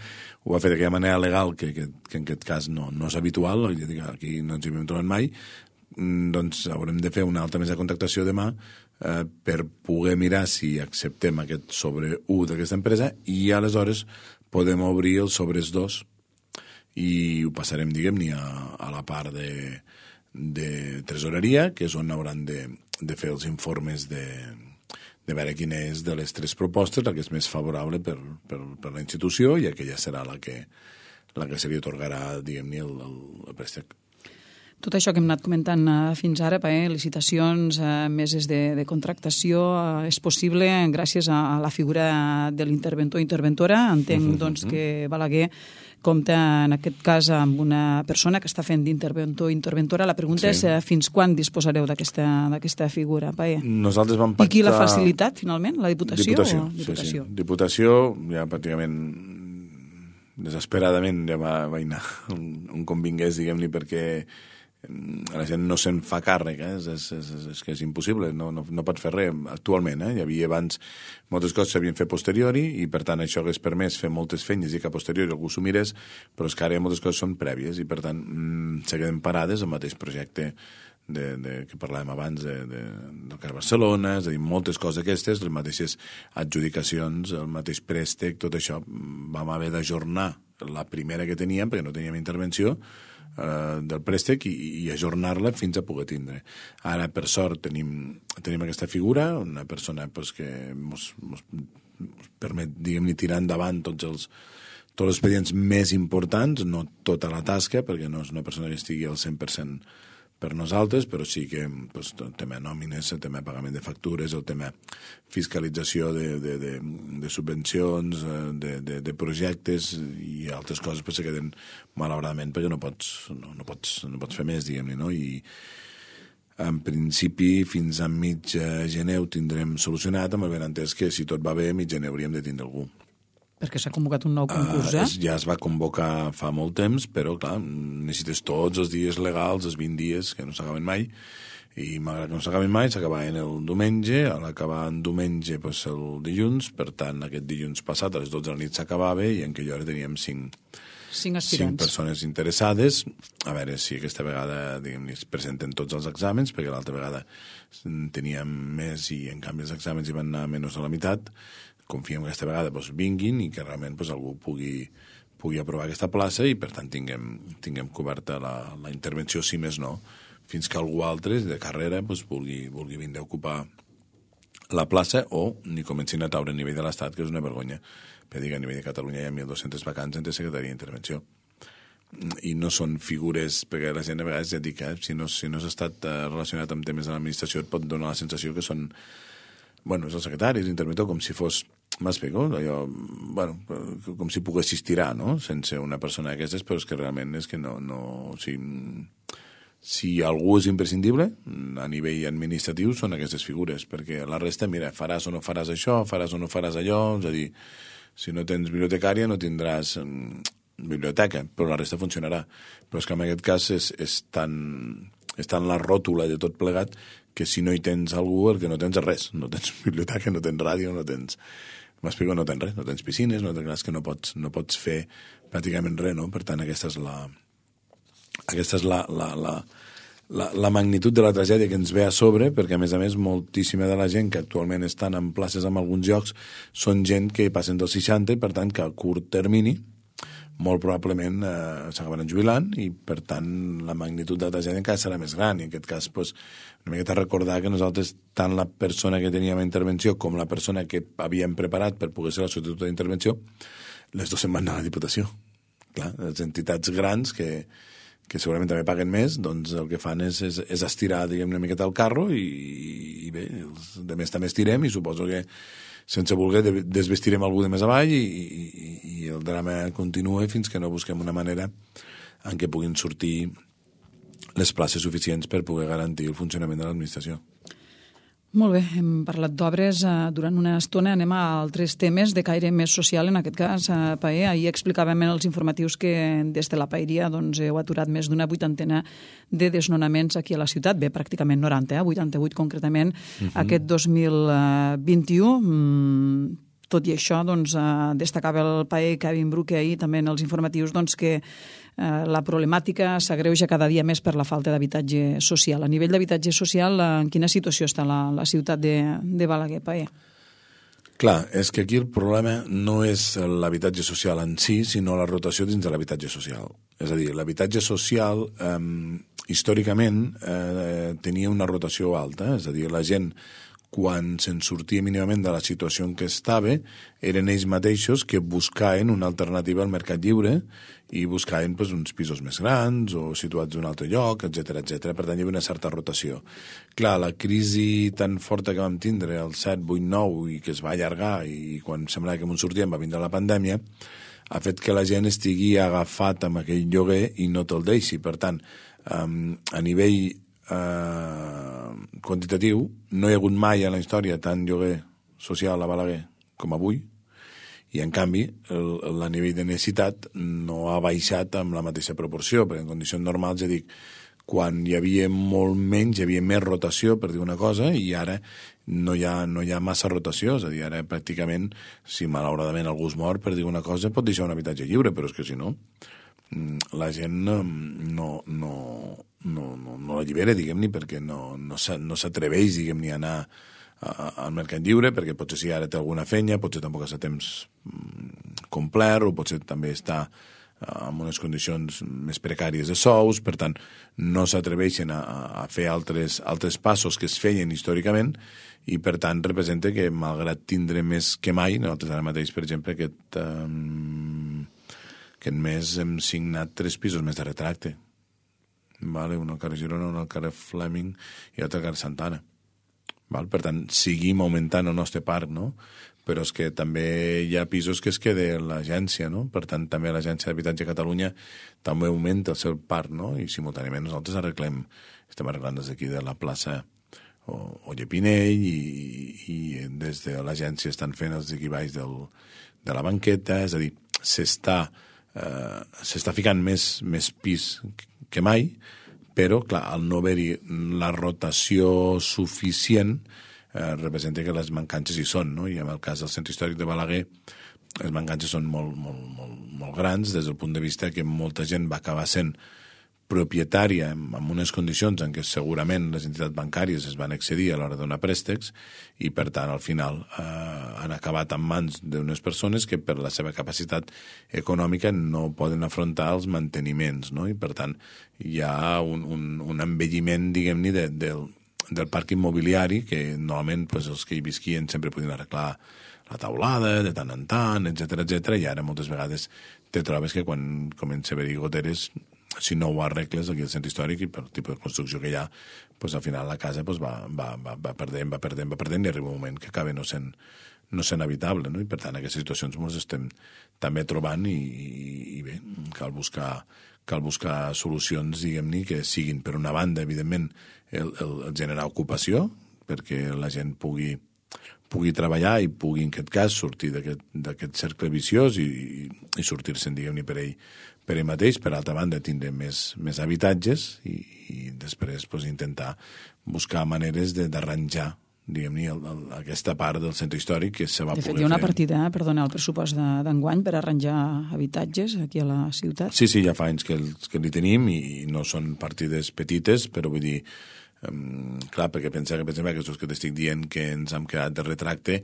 ho va fer d'aquella manera legal, que, que, que en aquest cas no, no és habitual, aquí no ens hi hem trobat mai, doncs haurem de fer una altra mesa de contractació demà eh, per poder mirar si acceptem aquest sobre u d'aquesta empresa i aleshores podem obrir els sobres dos i ho passarem, diguem-ne, a, a la part de, de tresoreria, que és on hauran de, de fer els informes de de veure quina és de les tres propostes la que és més favorable per, per, per la institució i aquella serà la que, la que se li atorgarà, diguem-ne, el, el, el préstec. Tot això que hem anat comentant fins ara, eh, licitacions, eh, meses de, de contractació, eh, és possible gràcies a, a la figura de l'interventor o interventora. Entenc uh -huh, doncs, uh -huh. que Balaguer compta en aquest cas amb una persona que està fent d'interventor o interventora. La pregunta sí. és eh, fins quan disposareu d'aquesta figura, Pae? Nosaltres vam pactar... I qui l'ha facilitat, finalment? La Diputació? Diputació, o? Diputació. Sí, sí. Diputació, ja pràcticament desesperadament ja va, va anar on, on convingués, diguem-ne, perquè la gent no se'n fa càrrec, eh? és, és, és, és que és impossible, no, no, no pots fer res actualment. Eh? Hi havia abans moltes coses que s'havien fet posteriori i per tant això hagués permès fer moltes feines i que a posteriori algú s'ho mirés, però és que ara moltes coses són prèvies i per tant mmm, se queden parades el mateix projecte de, de, que parlàvem abans de, de, del Car Barcelona, és a dir, moltes coses aquestes, les mateixes adjudicacions, el mateix préstec, tot això vam haver d'ajornar la primera que teníem perquè no teníem intervenció del préstec i, i ajornar-la fins a poder tindre. Ara, per sort, tenim, tenim aquesta figura, una persona pues, que ens permet, diguem-ne, tirar endavant tots els, tots els expedients més importants, no tota la tasca, perquè no és una persona que estigui al cent per cent per nosaltres, però sí que pues, el tema nòmines, el tema pagament de factures, el tema fiscalització de, de, de, de subvencions, de, de, de projectes i altres coses pues, se queden malauradament perquè no pots, no, no pots, no pots fer més, diguem-ne, no? I en principi fins a mig gener ho tindrem solucionat, amb el benentès que si tot va bé, a mig gener hauríem de tindre algú. Perquè s'ha convocat un nou concurs, eh? Uh, ja es va convocar fa molt temps, però, clar, necessites tots els dies legals, els vint dies, que no s'acaben mai, i malgrat que no s'acaben mai, s'acabaven el diumenge, a l'acabar en diumenge, pues, el dilluns, per tant, aquest dilluns passat, a les dotze de la nit s'acabava, i en aquella hora teníem cinc, cinc aspirants. Cinc persones interessades, a veure si aquesta vegada, diguem-ne, es presenten tots els exàmens, perquè l'altra vegada teníem més i, en canvi, els exàmens hi van anar menys a la meitat. Confiem que aquesta vegada pues, vinguin i que realment pues, algú pugui, pugui aprovar aquesta plaça i, per tant, tinguem, tinguem coberta la, la intervenció, si més no, fins que algú altre de carrera pues, vulgui, vulgui vindre a ocupar la plaça o ni comencin a taure a nivell de l'Estat, que és una vergonya. Per dir que a nivell de Catalunya hi ha mil dos-cents vacants entre secretaria d'intervenció. I no són figures, perquè la gent a vegades ja dic que eh, si no, si no has estat relacionat amb temes de l'administració et pot donar la sensació que són, bueno, és el secretari, és l'interventor, com si fos m'explico, allò, bueno, com si poguessis tirar, no?, sense una persona d'aquestes, però és que realment és que no, no, o sigui, Si algú és imprescindible, a nivell administratiu, són aquestes figures, perquè la resta, mira, faràs o no faràs això, faràs o no faràs allò, és a dir, si no tens bibliotecària no tindràs biblioteca, però la resta funcionarà. Però és que en aquest cas és, és, tan, és tan la ròtula de tot plegat que si no hi tens algú, el que no tens és res. No tens biblioteca, no tens ràdio, no tens... M'explico, no tens res, no tens piscines, no tens que no pots, no pots fer pràcticament res, no? Per tant, aquesta és la... Aquesta és la, la, la, la, la magnitud de la tragèdia que ens ve a sobre, perquè, a més a més, moltíssima de la gent que actualment estan en places en alguns llocs són gent que passen dels seixanta i, per tant, que a curt termini molt probablement eh, s'acabaran jubilant i, per tant, la magnitud de la tragèdia encara serà més gran. I en aquest cas, pues, una miqueta recordar que nosaltres, tant la persona que teníem a intervenció com la persona que havíem preparat per poder ser la substituta d'intervenció, les dues se'n van anar a la Diputació. Clar, les entitats grans que, que segurament també paguen més, doncs el que fan és, és, és estirar, diguem, una miqueta el carro i, i bé, els de més també estirem i suposo que sense voler desvestirem algú de més avall i, i, i el drama continua fins que no busquem una manera en què puguin sortir les places suficients per poder garantir el funcionament de l'administració. Molt bé, hem parlat d'obres. Durant una estona anem a altres temes de caire més social, en aquest cas, Paer. Ahir explicàvem en els informatius que des de la Paeria doncs, heu aturat més d'una vuitantena de desnonaments aquí a la ciutat. Bé, pràcticament noranta, eh? vuitanta-vuit concretament, uh-huh. aquest dos mil vint-i-u. Mm, tot i això, doncs, destacava el Paer Kevin Bruque ahir també en els informatius doncs, que la problemàtica s'agreuja cada dia més per la falta d'habitatge social. A nivell d'habitatge social, en quina situació està la, la ciutat de, de Balaguer, Paer? Clar, és que aquí el problema no és l'habitatge social en si, sinó la rotació dins de l'habitatge social. És a dir, l'habitatge social eh, històricament eh, tenia una rotació alta, és a dir, la gent quan se'n sortia mínimament de la situació en què estava, eren ells mateixos que buscaven una alternativa al mercat lliure i buscaven pues, uns pisos més grans o situats en un altre lloc, etcètera, etcètera. Per tant, hi havia una certa rotació. Clar, la crisi tan forta que vam tindre, el set, vuit, nou, i que es va allargar, i quan semblava que ens sortíem va vindre la pandèmia, ha fet que la gent estigui agafat amb aquell lloguer i no te'l deixi. Per tant, um, a nivell Uh, quantitatiu, no hi ha hagut mai a la història tant lloguer social a Balaguer com avui, i en canvi el, el nivell de necessitat no ha baixat amb la mateixa proporció, perquè en condicions normals, ja dic, quan hi havia molt menys, hi havia més rotació, per dir una cosa, i ara no hi ha, no hi ha massa rotació, és a dir, ara pràcticament, si malauradament algú es mor, per dir una cosa, pot deixar un habitatge lliure, però és que si no, la gent no, no, no, no, no l'allibera, diguem-ne, perquè no, no s'atreveix, diguem-ne, a anar al mercat lliure, perquè potser si ara té alguna feina, potser tampoc està a temps complet, o potser també està en unes condicions més precàries de sous, per tant, no s'atreveixen a, a fer altres, altres passos que es feien històricament, i per tant representa que, malgrat tindre més que mai, nosaltres ara mateix, per exemple, aquest... Um, Aquest mes hem signat tres pisos més de retracte. Vale? Un al carrer Girona, un al carrer Fleming i l'altre al carrer Santana. Val? Per tant, seguim augmentant el nostre parc, no? Però és que també hi ha pisos que es queda l'agència, no? Per tant, també l'Agència d'Habitatge de Catalunya també augmenta el seu parc, no? I simultàniament nosaltres arreglem, estem arreglant des d'aquí de la plaça Olle Pinell i, i des de l'agència estan fent els equivalls del, de la banqueta, és a dir, s'està Uh, s'està ficant més, més pis que mai, però, clar, al no haver-hi la rotació suficient uh, representa que les mancances hi són, no? I en el cas del centre històric de Balaguer les mancances són molt, molt, molt, molt grans des del punt de vista que molta gent va acabar sent propietària en unes condicions en què segurament les entitats bancàries es van excedir a l'hora de donar préstecs i, per tant, al final eh, han acabat en mans d'unes persones que per la seva capacitat econòmica no poden afrontar els manteniments, no? I, per tant, hi ha un, un, un envelliment, diguem-ne, de, del, del parc immobiliari que normalment pues, els que hi visquien sempre podien arreglar la taulada de tant en tant, etcètera, etcètera, i ara moltes vegades te trobes que quan comença a haver-hi goteres, si no ho arregles aquí al centre històric i per tipus de construcció que hi ha, pues, al final la casa pues, va, va, va, va perdent, va perdent, va perdent i arriba un moment que acaba no sent, no sent habitable, no? I per tant aquestes situacions ens estem també trobant i, i, i bé, cal buscar, cal buscar solucions, diguem-ne, que siguin, per una banda, evidentment, el, el, el generar ocupació, perquè la gent pugui, pugui treballar i pugui, en aquest cas, sortir d'aquest cercle viciós i, i, i sortir-se'n, diguem-ne, per ell, per ell mateix. Per altra banda, tindre més, més habitatges i, i després pues, intentar buscar maneres d'arranjar diguem-ne, aquesta part del centre històric que se va poder fer. De fet, hi ha una partida, eh, perdona, el pressupost d'enguany per arranjar habitatges aquí a la ciutat. Sí, sí, ja fa anys que, que li tenim i no són partides petites, però vull dir, um, clar, perquè pensar que, per exemple, aquests que t'estic dient que ens hem quedat de retracte,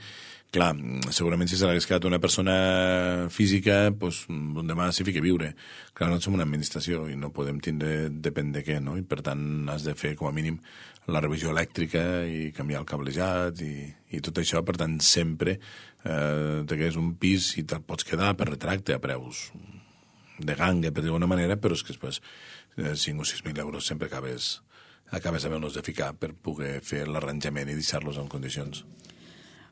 clar, segurament si se l'hagués quedat una persona física, doncs un demà s'hi fica a viure. Clar, no som una administració i no podem tindre depèn de què, no? I per tant has de fer com a mínim la revisió elèctrica i canviar el cablejat i, i tot això. Per tant, sempre eh, te quedes un pis i te'l pots quedar per retracte a preus de ganga, per dir d'alguna manera, però és que després eh, cinc o sis mil euros sempre acabes, acabes havent-los de ficar per poder fer l'arranjament i deixar-los en condicions.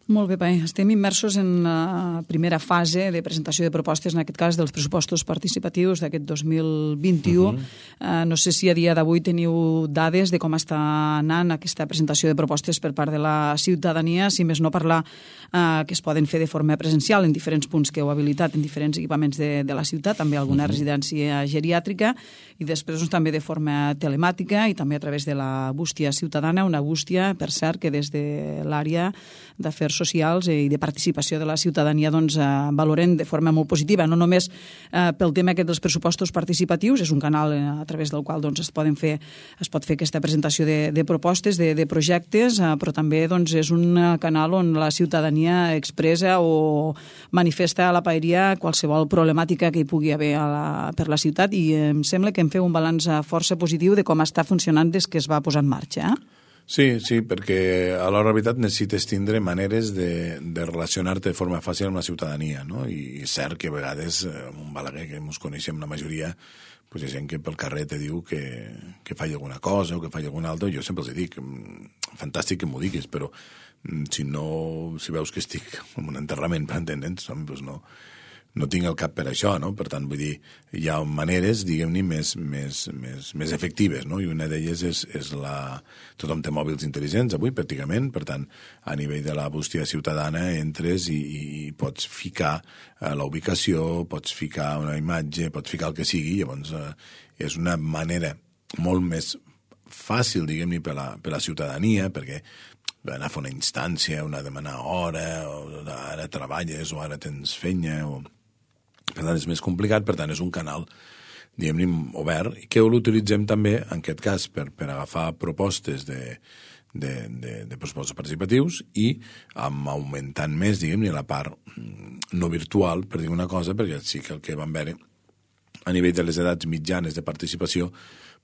Molt bé, Pai. Estem immersos en la primera fase de presentació de propostes, en aquest cas dels pressupostos participatius d'aquest dos mil vint-i-u. Uh-huh. uh, no sé si a dia d'avui teniu dades de com està anant aquesta presentació de propostes per part de la ciutadania, si més no parlar uh, que es poden fer de forma presencial en diferents punts que heu habilitat, en diferents equipaments de, de la ciutat, també alguna uh-huh. residència geriàtrica, i després doncs, també de forma telemàtica i també a través de la bústia ciutadana, una bústia, per cert, que des de l'àrea d'afers socials i de participació de la ciutadania doncs, eh, valoren de forma molt positiva, no només eh, pel tema aquest dels pressupostos participatius, és un canal eh, a través del qual doncs, es, poden fer, es pot fer aquesta presentació de, de propostes, de, de projectes, eh, però també doncs, és un canal on la ciutadania expressa o manifesta a la paeria qualsevol problemàtica que hi pugui haver a la, per la ciutat, i em sembla que em feu un balanç força positiu de com està funcionant des que es va posar en marxa. Eh? Sí, sí, perquè a l'hora de veritat necessites tindre maneres de, de relacionar-te de forma fàcil amb la ciutadania, no? I és cert que a vegades, en un Balaguer que ens coneixem la majoria, pues hi ha gent que pel carrer te diu que, que faci alguna cosa o que faci alguna altra, jo sempre els dic, fantàstic que m'ho diguis, però si no, si veus que estic en un enterrament, per entendre'ns, doncs no, no tinc el cap per això, no? Per tant, vull dir, hi ha maneres, diguem-ne, més, més, més, més efectives, no? I una d'elles és, és la... Tothom té mòbils intel·ligents avui, pràcticament, per tant, a nivell de la bústia ciutadana entres i, i pots ficar eh, la ubicació, pots ficar una imatge, pots ficar el que sigui, llavors eh, és una manera molt més fàcil, diguem-ne, per, la, per la ciutadania, perquè anar a fer una instància, una demanar hora, o ara treballes, o ara tens feina, o... Per tant, és més complicat, per tant, és un canal, diguem-ne, obert, i que l'utilitzem també, en aquest cas, per, per agafar propostes de, de, de, de pressupostos participatius i amb augmentant més, diguem-ne, la part no virtual, per dir una cosa, perquè sí que el que vam veure a nivell de les edats mitjanes de participació,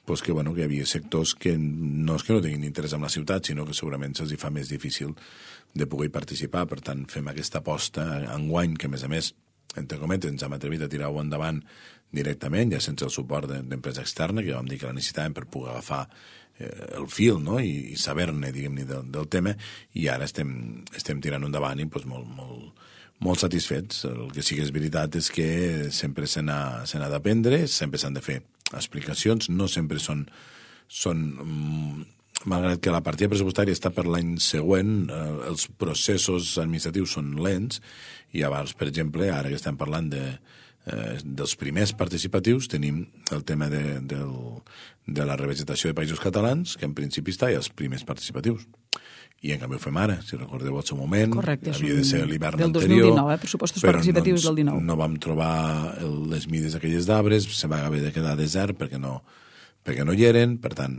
pues que, bueno, que hi havia sectors que no és que no tinguin interès en la ciutat, sinó que segurament se'ls fa més difícil de poder participar. Per tant, fem aquesta aposta enguany, que a més a més, entre cometes, ens hem atrevit a tirar-ho endavant directament, ja sense el suport d'empresa externa, que vam dir que la necessitàvem per poder agafar eh, el fil, no? I, i saber-ne, diguem-ne, del, del tema, i ara estem, estem tirant endavant i pues, molt, molt, molt satisfets. El que sí que és veritat és que sempre se n'ha se n'ha d'aprendre, sempre s'han de fer explicacions, no sempre són... són mm, malgrat que la partida pressupostària està per l'any següent, eh, els processos administratius són lents, i llavors, per exemple, ara que estem parlant de, eh, dels primers participatius, tenim el tema de, del, de la revegetació de països catalans, que en principi està, i els primers participatius. I en canvi ho fem ara, si recordeu el seu moment. Correcte, havia de ser l'hivern del anterior. dos mil dinou, eh? Pressupostos participatius no, del dinou. No vam trobar el, les mides aquelles d'arbres, se va haver de quedar desert perquè no... perquè no hi eren, per tant,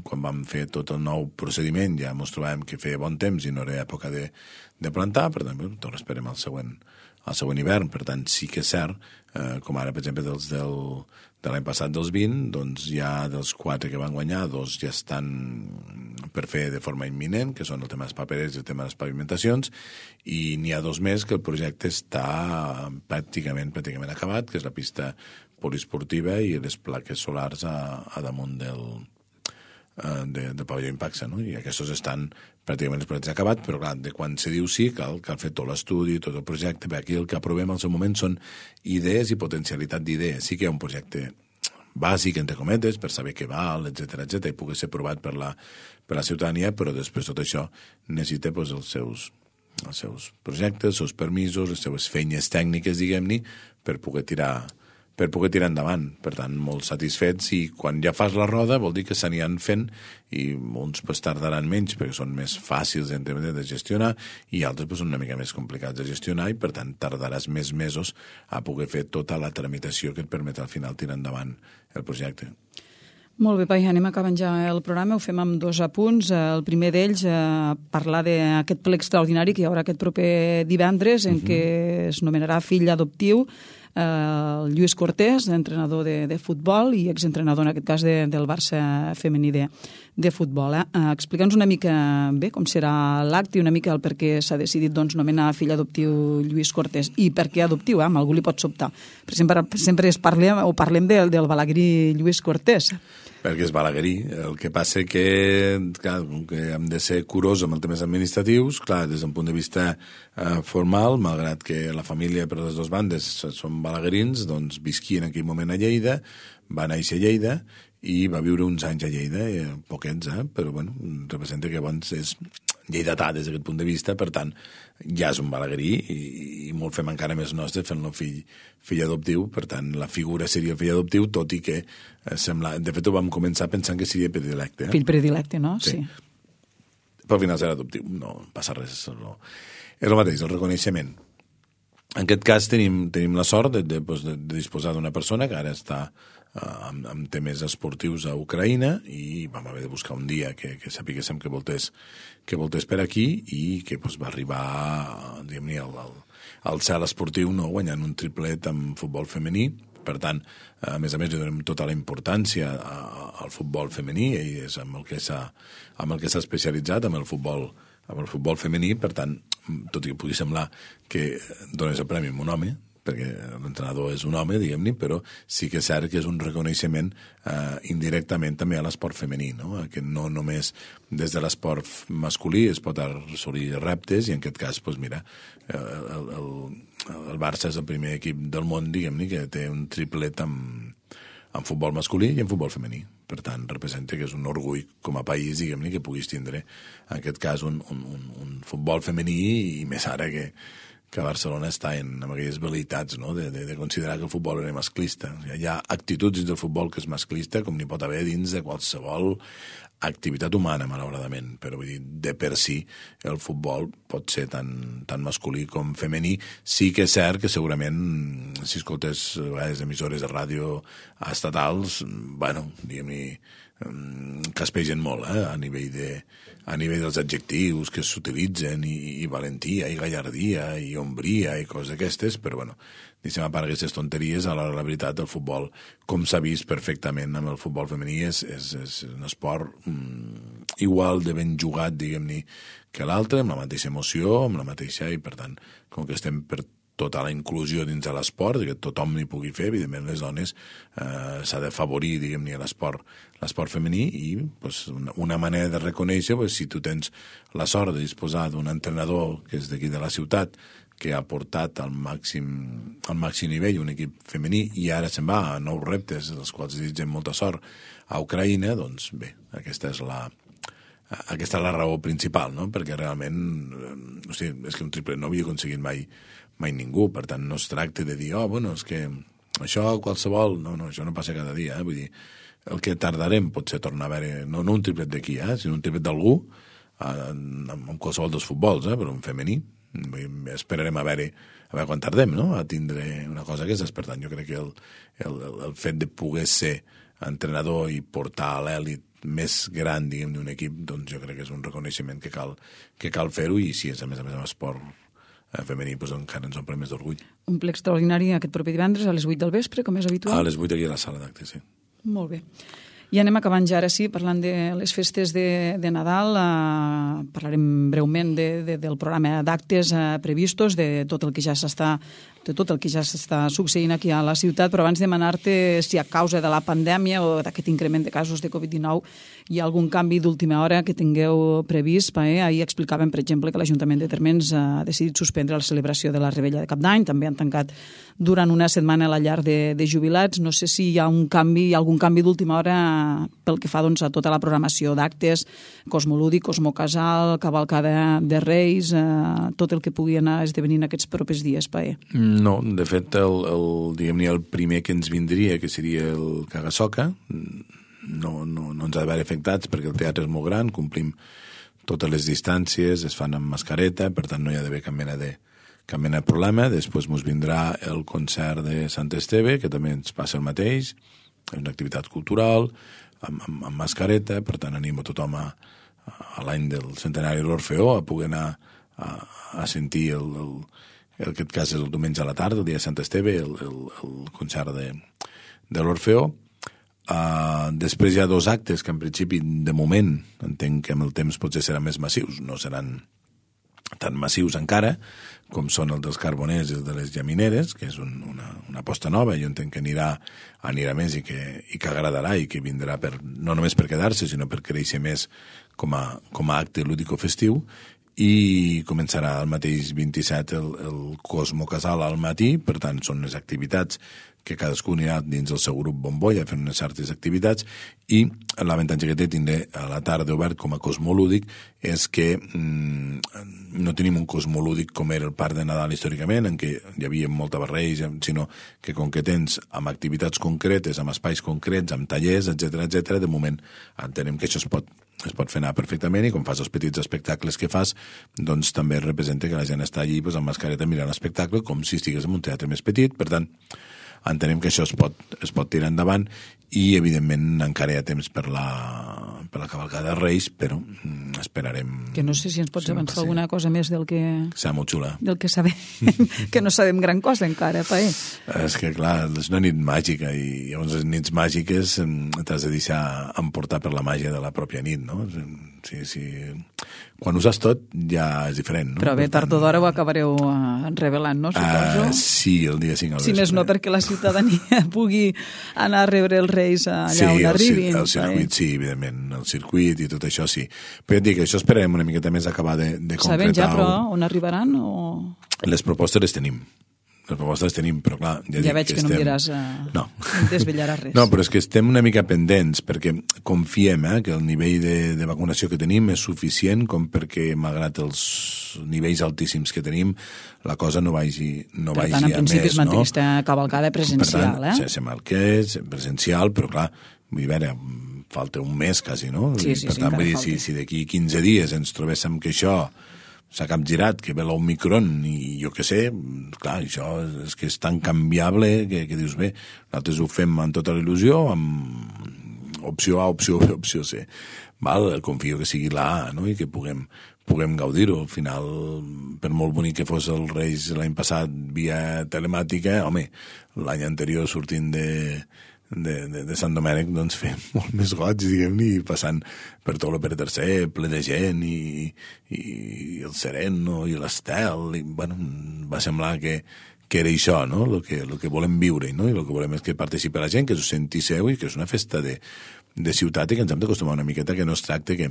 quan vam fer tot el nou procediment ja ens trobàvem que feia bon temps i no era època de, de plantar, per tant, doncs esperem el següent, el següent hivern, per tant, sí que és cert, eh, com ara, per exemple, dels del, de l'any passat dels vint, doncs ja dels quatre que van guanyar, dos ja estan per fer de forma imminent, que són el tema dels paperers i el tema de les pavimentacions, i n'hi ha dos més que el projecte està pràcticament, pràcticament acabat, que és la pista poliesportiva i les plaques solars a, a damunt del, de, del pavelló Impaxa, no? I aquests estan pràcticament els projectes acabats, però clar, de quan se diu sí, cal, cal fer tot l'estudi, tot el projecte, perquè aquí el que aprovem al seu moment són idees i potencialitat d'idees. Sí que hi ha un projecte bàsic, entre cometes, per saber què val, etcètera, etcètera, i pugui ser provat per la, per la ciutadania, però després tot això necessita pues, els, seus, els seus projectes, els seus permisos, les seves feines tècniques, diguem-ne, per poder tirar per poder tirar endavant. Per tant, molt satisfets, i quan ja fas la roda vol dir que se n'hi han fent, i uns pues, tardaran menys perquè són més fàcils de gestionar, i altres pues, són una mica més complicats de gestionar, i per tant tardaràs més mesos a poder fer tota la tramitació que et permet al final tirar endavant el projecte. Molt bé, Pai, anem acabant ja el programa, ho fem amb dos apunts. El primer d'ells, eh, parlar d'aquest ple extraordinari que hi haurà aquest proper divendres, en uh-huh. què es nomenarà fill adoptiu Uh, Lluís Cortés, entrenador de, de futbol i exentrenador, en aquest cas, de, del Barça femení de, de futbol. Eh? Uh, Explica'ns una mica bé com serà l'acte i una mica el per què s'ha decidit doncs, nomenar fill adoptiu Lluís Cortés. I per què adoptiu? Eh? Algú li pot sobtar. Per exemple, sempre es parlem, o parlem del, del balaguerí Lluís Cortés. Perquè és balaguerí. El que passa que, clar, que hem de ser curosos amb els temes administratius, clar, des d'un punt de vista eh, formal, malgrat que la família per les dues bandes són balaguerins, doncs visquia en aquell moment a Lleida, va néixer a Lleida i va viure uns anys a Lleida, eh, poquets, eh, però bueno, representa que abans és lleidatà des d'aquest punt de vista, per tant, ja és un balaguerí i, i molt fem encara més nostre fent-lo fill, fill adoptiu, per tant, la figura seria fill adoptiu, tot i que eh, sembla... De fet, ho vam començar pensant que seria predilecte. Eh? Fill predilecte, no? Sí. sí. Però al final serà adoptiu, no passa res. És el, és el mateix, el reconeixement. En aquest cas tenim, tenim la sort de, de, de, de disposar d'una persona que ara està amb, amb temes esportius a Ucraïna, i vam haver de buscar un dia que, que sapiguéssim que voltés, que voltés per aquí, i que pues, va arribar diguem-ne al, al, al cel esportiu, no? Guanyant un triplet amb futbol femení. Per tant, a més a més, donem tota la importància al futbol femení, i és amb el que s'ha amb el que s'ha especialitzat, amb el futbol amb el futbol femení. Per tant, tot i que pugui semblar que dones el premi a un home, perquè l'entrenador és un home, diguem-ne, però sí que és cert que és un reconeixement eh, indirectament també a l'esport femení, no? Que no només des de l'esport masculí es pot assolir reptes, i en aquest cas, doncs mira, el, el, el Barça és el primer equip del món, diguem-ne, que té un triplet amb, amb futbol masculí i en futbol femení. Per tant, representa que és un orgull com a país, diguem-ne, que puguis tindre, en aquest cas, un, un, un, un futbol femení, i més ara que que Barcelona està en, en aquelles velleitats, no? de, de, de considerar que el futbol era masclista. Hi ha actituds dins del futbol que és masclista, com n'hi pot haver dins de qualsevol activitat humana, malauradament, però vull dir, de per si el futbol pot ser tan, tan masculí com femení. Sí que és cert que segurament, si escoltes a vegades emissores de ràdio estatals, bueno, diguem-ne, caspegen molt, eh? a nivell de a nivell dels adjectius que s'utilitzen, i, i valentia, i gallardia, i ombria, i coses d'aquestes, però bueno, deixem a part aquestes tonteries. A l'hora de la veritat, el futbol, com s'ha vist perfectament amb el futbol femení, és, és, és un esport mm, igual de ben jugat, diguem-ne, que l'altre, amb la mateixa emoció, amb la mateixa, i per tant, com que estem per tota la inclusió dins de l'esport, que tothom n'hi pugui fer, evidentment les dones eh, s'ha de favorir, diguem-ne, l'esport l'esport femení, i pues, una, una manera de reconèixer, pues, si tu tens la sort de disposar d'un entrenador que és d'aquí de la ciutat, que ha portat al màxim, al màxim nivell un equip femení, i ara se'n va a nous reptes, dels quals desitgem molta sort, a Ucraïna, doncs bé, aquesta és la aquesta és la raó principal, no? Perquè realment, o sigui, és que un triple no havia aconseguit mai mai ningú, per tant no es tracta de dir, oh, bueno, és que això qualsevol, no, no, això no passa cada dia, eh? Vull dir, el que tardarem pot ser tornar a veure, no, no un triplet d'aquí, eh? sinó un triplet d'algú, eh, en qualsevol dels futbols, eh? però un femení, vull dir, esperarem a veure, a veure quan tardem, no?, a tindre una cosa que és, per tant, jo crec que el, el, el fet de poder ser entrenador i portar a l'èlit més gran, diguem, d'un equip, doncs jo crec que és un reconeixement que cal, que cal fer-ho, i si és a més a més un esport femení, doncs encara ens omple més d'orgull. Un ple extraordinari aquest proper divendres a les vuit del vespre, com és habitual? A les vuit aquí a la sala d'actes, sí. Molt bé. I anem acabant ja, ara sí, parlant de les festes de, de Nadal. Uh, parlarem breument de, de, del programa d'actes uh, previstos, de tot el que ja s'està de tot el que ja s'està succeint aquí a la ciutat, però abans demanar-te si a causa de la pandèmia o d'aquest increment de casos de covid dinou hi ha algun canvi d'última hora que tingueu previst. Eh? Ahir explicàvem, per exemple, que l'Ajuntament de Térmens ha decidit suspendre la celebració de la Rebella de Cap d'Any, també han tancat durant una setmana la llar de, de jubilats. No sé si hi ha un canvi, algun canvi d'última hora pel que fa doncs, a tota la programació d'actes, Cosmolúdic, Cosmocasal, Cavalcada de Reis, eh, tot el que pugui anar esdevenint aquests propers dies, Paé. No, de fet, el, el, diguem-ne, el primer que ens vindria, que seria el Cagasoca, no, no, no ens ha d'haver afectats perquè el teatre és molt gran, complim totes les distàncies, es fan amb mascareta, per tant no hi ha d'haver cap mena de, cap mena de problema. Després ens vindrà el concert de Sant Esteve, que també ens passa el mateix, és una activitat cultural, amb, amb, amb mascareta, per tant animo tothom a, a l'any del centenari de l'Orfeó a poder anar a, a sentir el, el, en aquest cas és el diumenge a la tarda, el dia de Sant Esteve, el, el, el concert de, de l'Orfeó. Uh, després hi ha dos actes que en principi, de moment, entenc que amb el temps potser seran més massius, no seran tan massius encara, com són el dels Carboners i el de les Llamineres, que és un, una, una aposta nova, jo entenc que anirà, anirà més i que, i que agradarà i que vindrà per, no només per quedar-se, sinó per créixer més com a, com a acte lúdico-festiu, i començarà el mateix vint-i-set el, el Cosmo Casal al matí, per tant són les activitats que cadascú anirà dins el seu grup bombolla fent unes certes activitats, i l'avantatge que té tindre a la tarda obert com a cosmolúdic és que mm, no tenim un cosmolúdic com era el Parc de Nadal històricament, en què hi havia molta barreja, sinó que com que tens amb activitats concretes, amb espais concrets, amb tallers, etcètera, etcètera, de moment entenem que això es pot es pot fer anar perfectament, i com fas els petits espectacles que fas, doncs també representa que la gent està allí doncs, amb mascareta mirant l'espectacle com si estigués en un teatre més petit. Per tant, entenem que això es pot, es pot tirar endavant, i evidentment encara hi ha temps per la, per la cavalcada de Reis, però mm, esperarem... Que no sé si ens pots si avançar alguna cosa més del que... Serà molt xula. Del que sabem, que no sabem gran cosa encara, Paé. És que, clar, és una nit màgica, i llavors les nits màgiques t'has de deixar emportar per la màgia de la pròpia nit, no? Sí, sí. Quan ho saps tot ja és diferent, no? Però bé, tard o d'hora ho acabareu uh, revelant, no? Suposo. Uh, sí, el dia cinc al vespre. Si més no, perquè la ciutadania pugui anar a rebre els Reis allà sí, on arribin. Sí, el circuit, eh? Sí, evidentment, el circuit i tot això, sí. Però et dic, això esperarem una miqueta més acabar de, de concretar. Sabem ja, però, on arribaran? O... Les propostes les tenim. Les propostes les tenim, però clar... Ja, ja veig que, que estem... no em diràs... Uh, no. No desvetllaràs res. No, però és que estem una mica pendents, perquè confiem eh, que el nivell de, de vacunació que tenim és suficient com perquè, malgrat els nivells altíssims que tenim, la cosa no vagi, no per vagi tant, a més. Per tant, en principi es manté no? aquesta cavalcada presencial, per tant, eh? Sí, sembla el que és, presencial, però clar, vull dir, a veure, falta un mes quasi, no? Sí, sí, per sí, tant, vull dir, falta. si, si d'aquí quinze dies ens trobéssim que això s'ha capgirat, que ve l'Omicron i jo què sé, clar, això és que és tan canviable que, que dius, bé, nosaltres ho fem amb tota la il·lusió, amb opció A, opció B, opció C. Val? Confio que sigui la A, no? I que puguem, puguem gaudir-ho. Al final, per molt bonic que fos el Reis l'any passat via telemàtica, home, l'any anterior sortint de... De, de, de Sant Domènec, doncs fer molt més goig, diguem-ne, i passant per tot el Pere tercer, ple de gent, i, i, i el Sereno, i l'Estel, i, bueno, va semblar que, que era això, no?, el que, el que volem viure, no?, i el que volem és que participi la gent, que s'ho senti seu, i que és una festa de, de ciutat, i que ens hem d'acostumar una miqueta, que no es tracta que,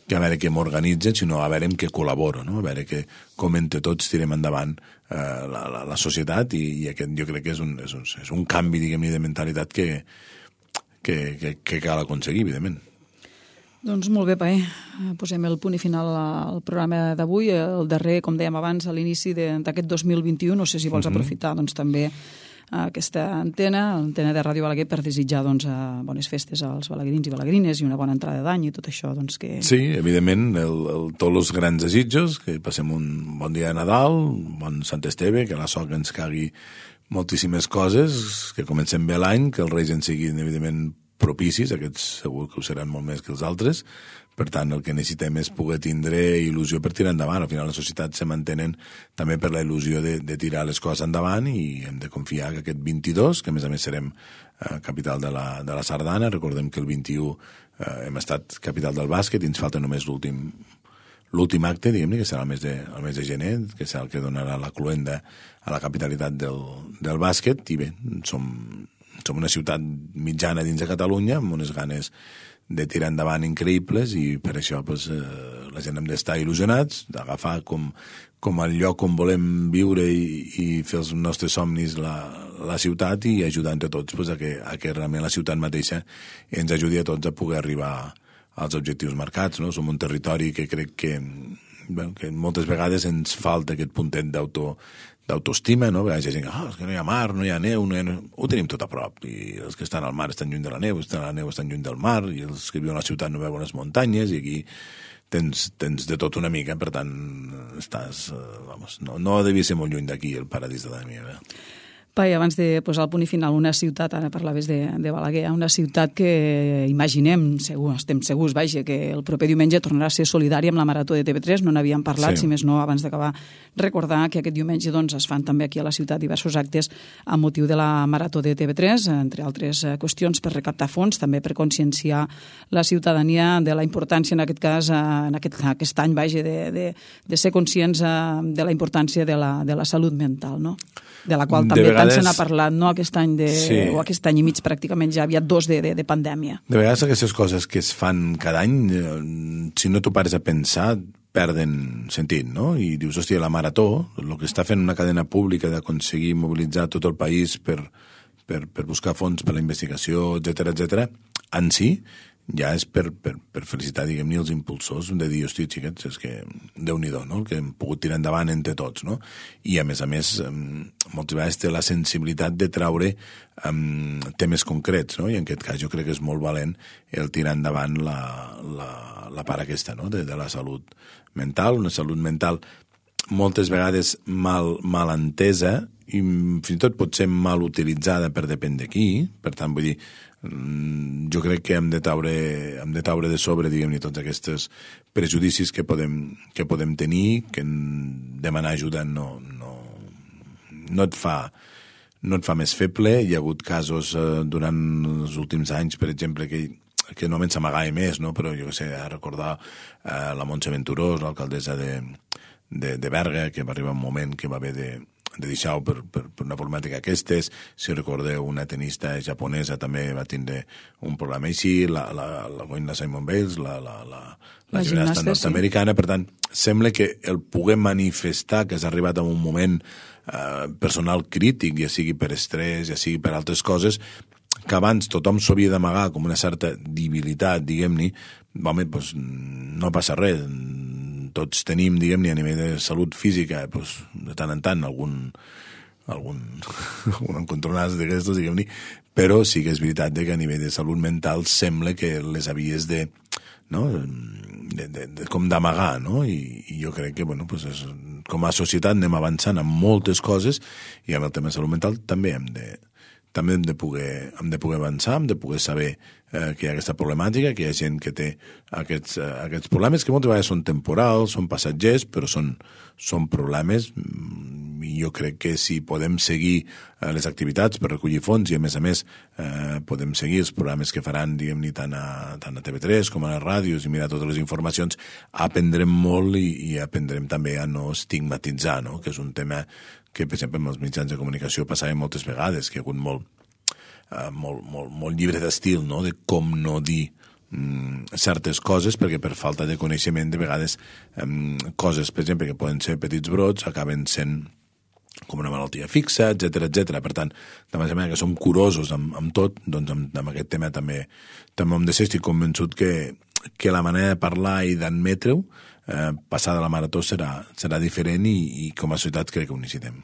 que a veure què m'organitzen, sinó a veure amb què col·laboro, no?, a veure que, com entre tots tirem endavant eh, la, la, la societat, i, i aquest jo crec que és un, és un, és un canvi, diguem-ne, de mentalitat que, que, que, que cal aconseguir, evidentment. Doncs molt bé, Paé. Posem el punt i final al programa d'avui, el darrer, com dèiem abans, a l'inici d'aquest dos mil vint-i-u. No sé si vols mm-hmm. aprofitar doncs, també aquesta antena, l'antena de Ràdio Balaguer, per desitjar doncs, bones festes als balaguerins i balaguerines i una bona entrada d'any i tot això. Doncs, que... Sí, evidentment, el, el, tots els grans desitjos, que passem un bon dia de Nadal, un bon Sant Esteve, que la sort ens cagui moltíssimes coses, que comencem bé l'any, que els Reis en siguin, evidentment, propicis, aquests segur que ho seran molt més que els altres, Per tant, el que necessitem és poder tindre il·lusió per tirar endavant. Al final les societats se mantenen també per la il·lusió de, de tirar les coses endavant i hem de confiar que aquest vint-i-dos, que a més a més serem eh, capital de la, de la Sardana, recordem que el vint-i-u eh, hem estat capital del bàsquet i ens falta només l'últim l'últim acte, diguem-ne, que serà el mes, de, el mes de gener, que serà el que donarà la cluenda a la capitalitat del, del bàsquet, i bé, som, som una ciutat mitjana dins de Catalunya, amb unes ganes de tirar endavant increïbles i per això pues, eh, la gent hem d'estar il·lusionats, d'agafar com, com el lloc on volem viure i, i fer els nostres somnis la, la ciutat i ajudar entre tots pues, a, que, a que realment la ciutat mateixa ens ajudi a tots a poder arribar als objectius marcats. No? Som un territori que crec que, bueno, que moltes vegades ens falta aquest puntet d'auto d'autoestima, no? A vegades hi ha gent que, oh, és que no hi ha mar, no hi ha neu, no hi ha... ho tenim tot a prop, i els que estan al mar estan lluny de la neu, els que estan a la neu estan lluny del mar, i els que viuen a la ciutat no veuen les muntanyes, i aquí tens, tens de tot una mica, per tant, estàs, vamos, no, no devia ser molt lluny d'aquí, el paradís de la meva. Pai, abans de posar el punt i final, una ciutat, ara parlaves de, de Balaguer, una ciutat que imaginem, segur, estem segurs, vaja, que el proper diumenge tornarà a ser solidària amb la Marató de T V tres, no n'havíem parlat, sí. Si més no, abans d'acabar, recordar que aquest diumenge doncs, es fan també aquí a la ciutat diversos actes amb motiu de la Marató de T V tres, entre altres qüestions per recaptar fons, també per conscienciar la ciutadania de la importància, en aquest cas, en aquest, aquest any, vaja, de, de, de ser conscients de la importància de la, de la salut mental, no? De la qual també vegades... tant se n'ha parlat, no? Aquest any de, sí. o aquest any i mig pràcticament ja havia dos de, de, de pandèmia. De vegades aquestes coses que es fan cada any, si no t'ho pares a pensar, perden sentit, no? I dius, hòstia, la Marató, el que està fent una cadena pública d'aconseguir mobilitzar tot el país per, per, per buscar fons per la investigació, etcètera, etcètera, en si, ja és per, per, per felicitar, diguem-ne, els impulsors de dir, hosti, xiquets, és que Déu-n'hi-do, no?, el que hem pogut tirar endavant entre tots, no? I, a més a més, moltes vegades té la sensibilitat de traure um, temes concrets, no? I en aquest cas jo crec que és molt valent el tirar endavant la, la, la part aquesta, no?, de, de la salut mental, una salut mental moltes vegades mal, mal entesa i fins i tot pot ser mal utilitzada per depèn de qui, per tant, vull dir, jo crec que hem de taure, hem de taure de sobre, diguem-ne, tots aquests prejudicis que podem, que podem tenir, que demanar ajuda no, no, no, et fa, no et fa més feble. Hi ha hagut casos eh, durant els últims anys, per exemple, que que no me'n s'amagava més, no? Però jo què sé, a recordar eh, la Montse Venturós, l'alcaldessa de, de, de Berga, que va arribar un moment que va haver de de deixar-ho per, per, per una problemàtica aquestes. Si recordeu, una tenista japonesa també va tindre un problema així, la, la, la Goina Simone Biles, la, la, la, la, la gimnasta nord-americana. Sí. Per tant, sembla que el poder manifestar que has arribat a un moment eh, personal crític, ja sigui per estrès, ja sigui per altres coses, que abans tothom s'ho havia d'amagar com una certa debilitat, diguem-ne, home, doncs no passa res. Tots tenim, diguem-ne, a nivell de salut física, doncs, de tant en tant, algun, algun, algun encontronàs d'aquestos, diguem-ne, però sí que és veritat que a nivell de salut mental sembla que les havies de, no?, de, de, de, com d'amagar, no? I, i jo crec que, bueno, pues és, com a societat anem avançant en moltes coses i amb el tema de salut mental també hem de, també hem de poder, hem de poder avançar, hem de poder saber eh, que hi ha aquesta problemàtica, que hi ha gent que té aquests, eh, aquests problemes que moltes vegades són temporals, són passatgers, però són, són problemes i jo crec que si podem seguir eh, les activitats per recollir fons i a més a més eh, podem seguir els programes que faran, diguem-ne, tant a, tant a T V tres com a les ràdios i mirar totes les informacions, aprendrem molt i, i aprendrem també a no estigmatitzar, no?, que és un tema que, per exemple, amb els mitjans de comunicació passava moltes vegades, que hi ha hagut molt, uh, molt, molt, molt llibre d'estil, no?, de com no dir um, certes coses, perquè per falta de coneixement, de vegades, um, coses, per exemple, que poden ser petits brots, acaben sent com una malaltia fixa, etcètera, etcètera. Per tant, de manera que som curosos amb, amb tot, doncs amb, amb aquest tema també, també hem de ser. Estic convençut que, que la manera de parlar i d'admetre-ho Eh, passada la Marató serà, serà diferent i, i com a societat crec que ho necessitem.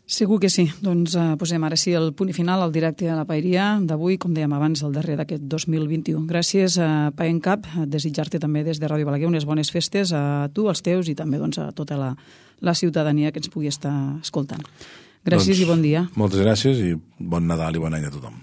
Segur que sí. Doncs eh, posem ara sí el punt i final al directe a la Paeria d'avui, com dèiem abans, el darrer d'aquest dos mil vint-i-u. Gràcies a Pai en Cap, a desitjar-te també des de Ràdio Balaguer unes bones festes a tu, als teus i també doncs, a tota la, la ciutadania que ens pugui estar escoltant. Gràcies doncs, i bon dia. Moltes gràcies i bon Nadal i bon any a tothom.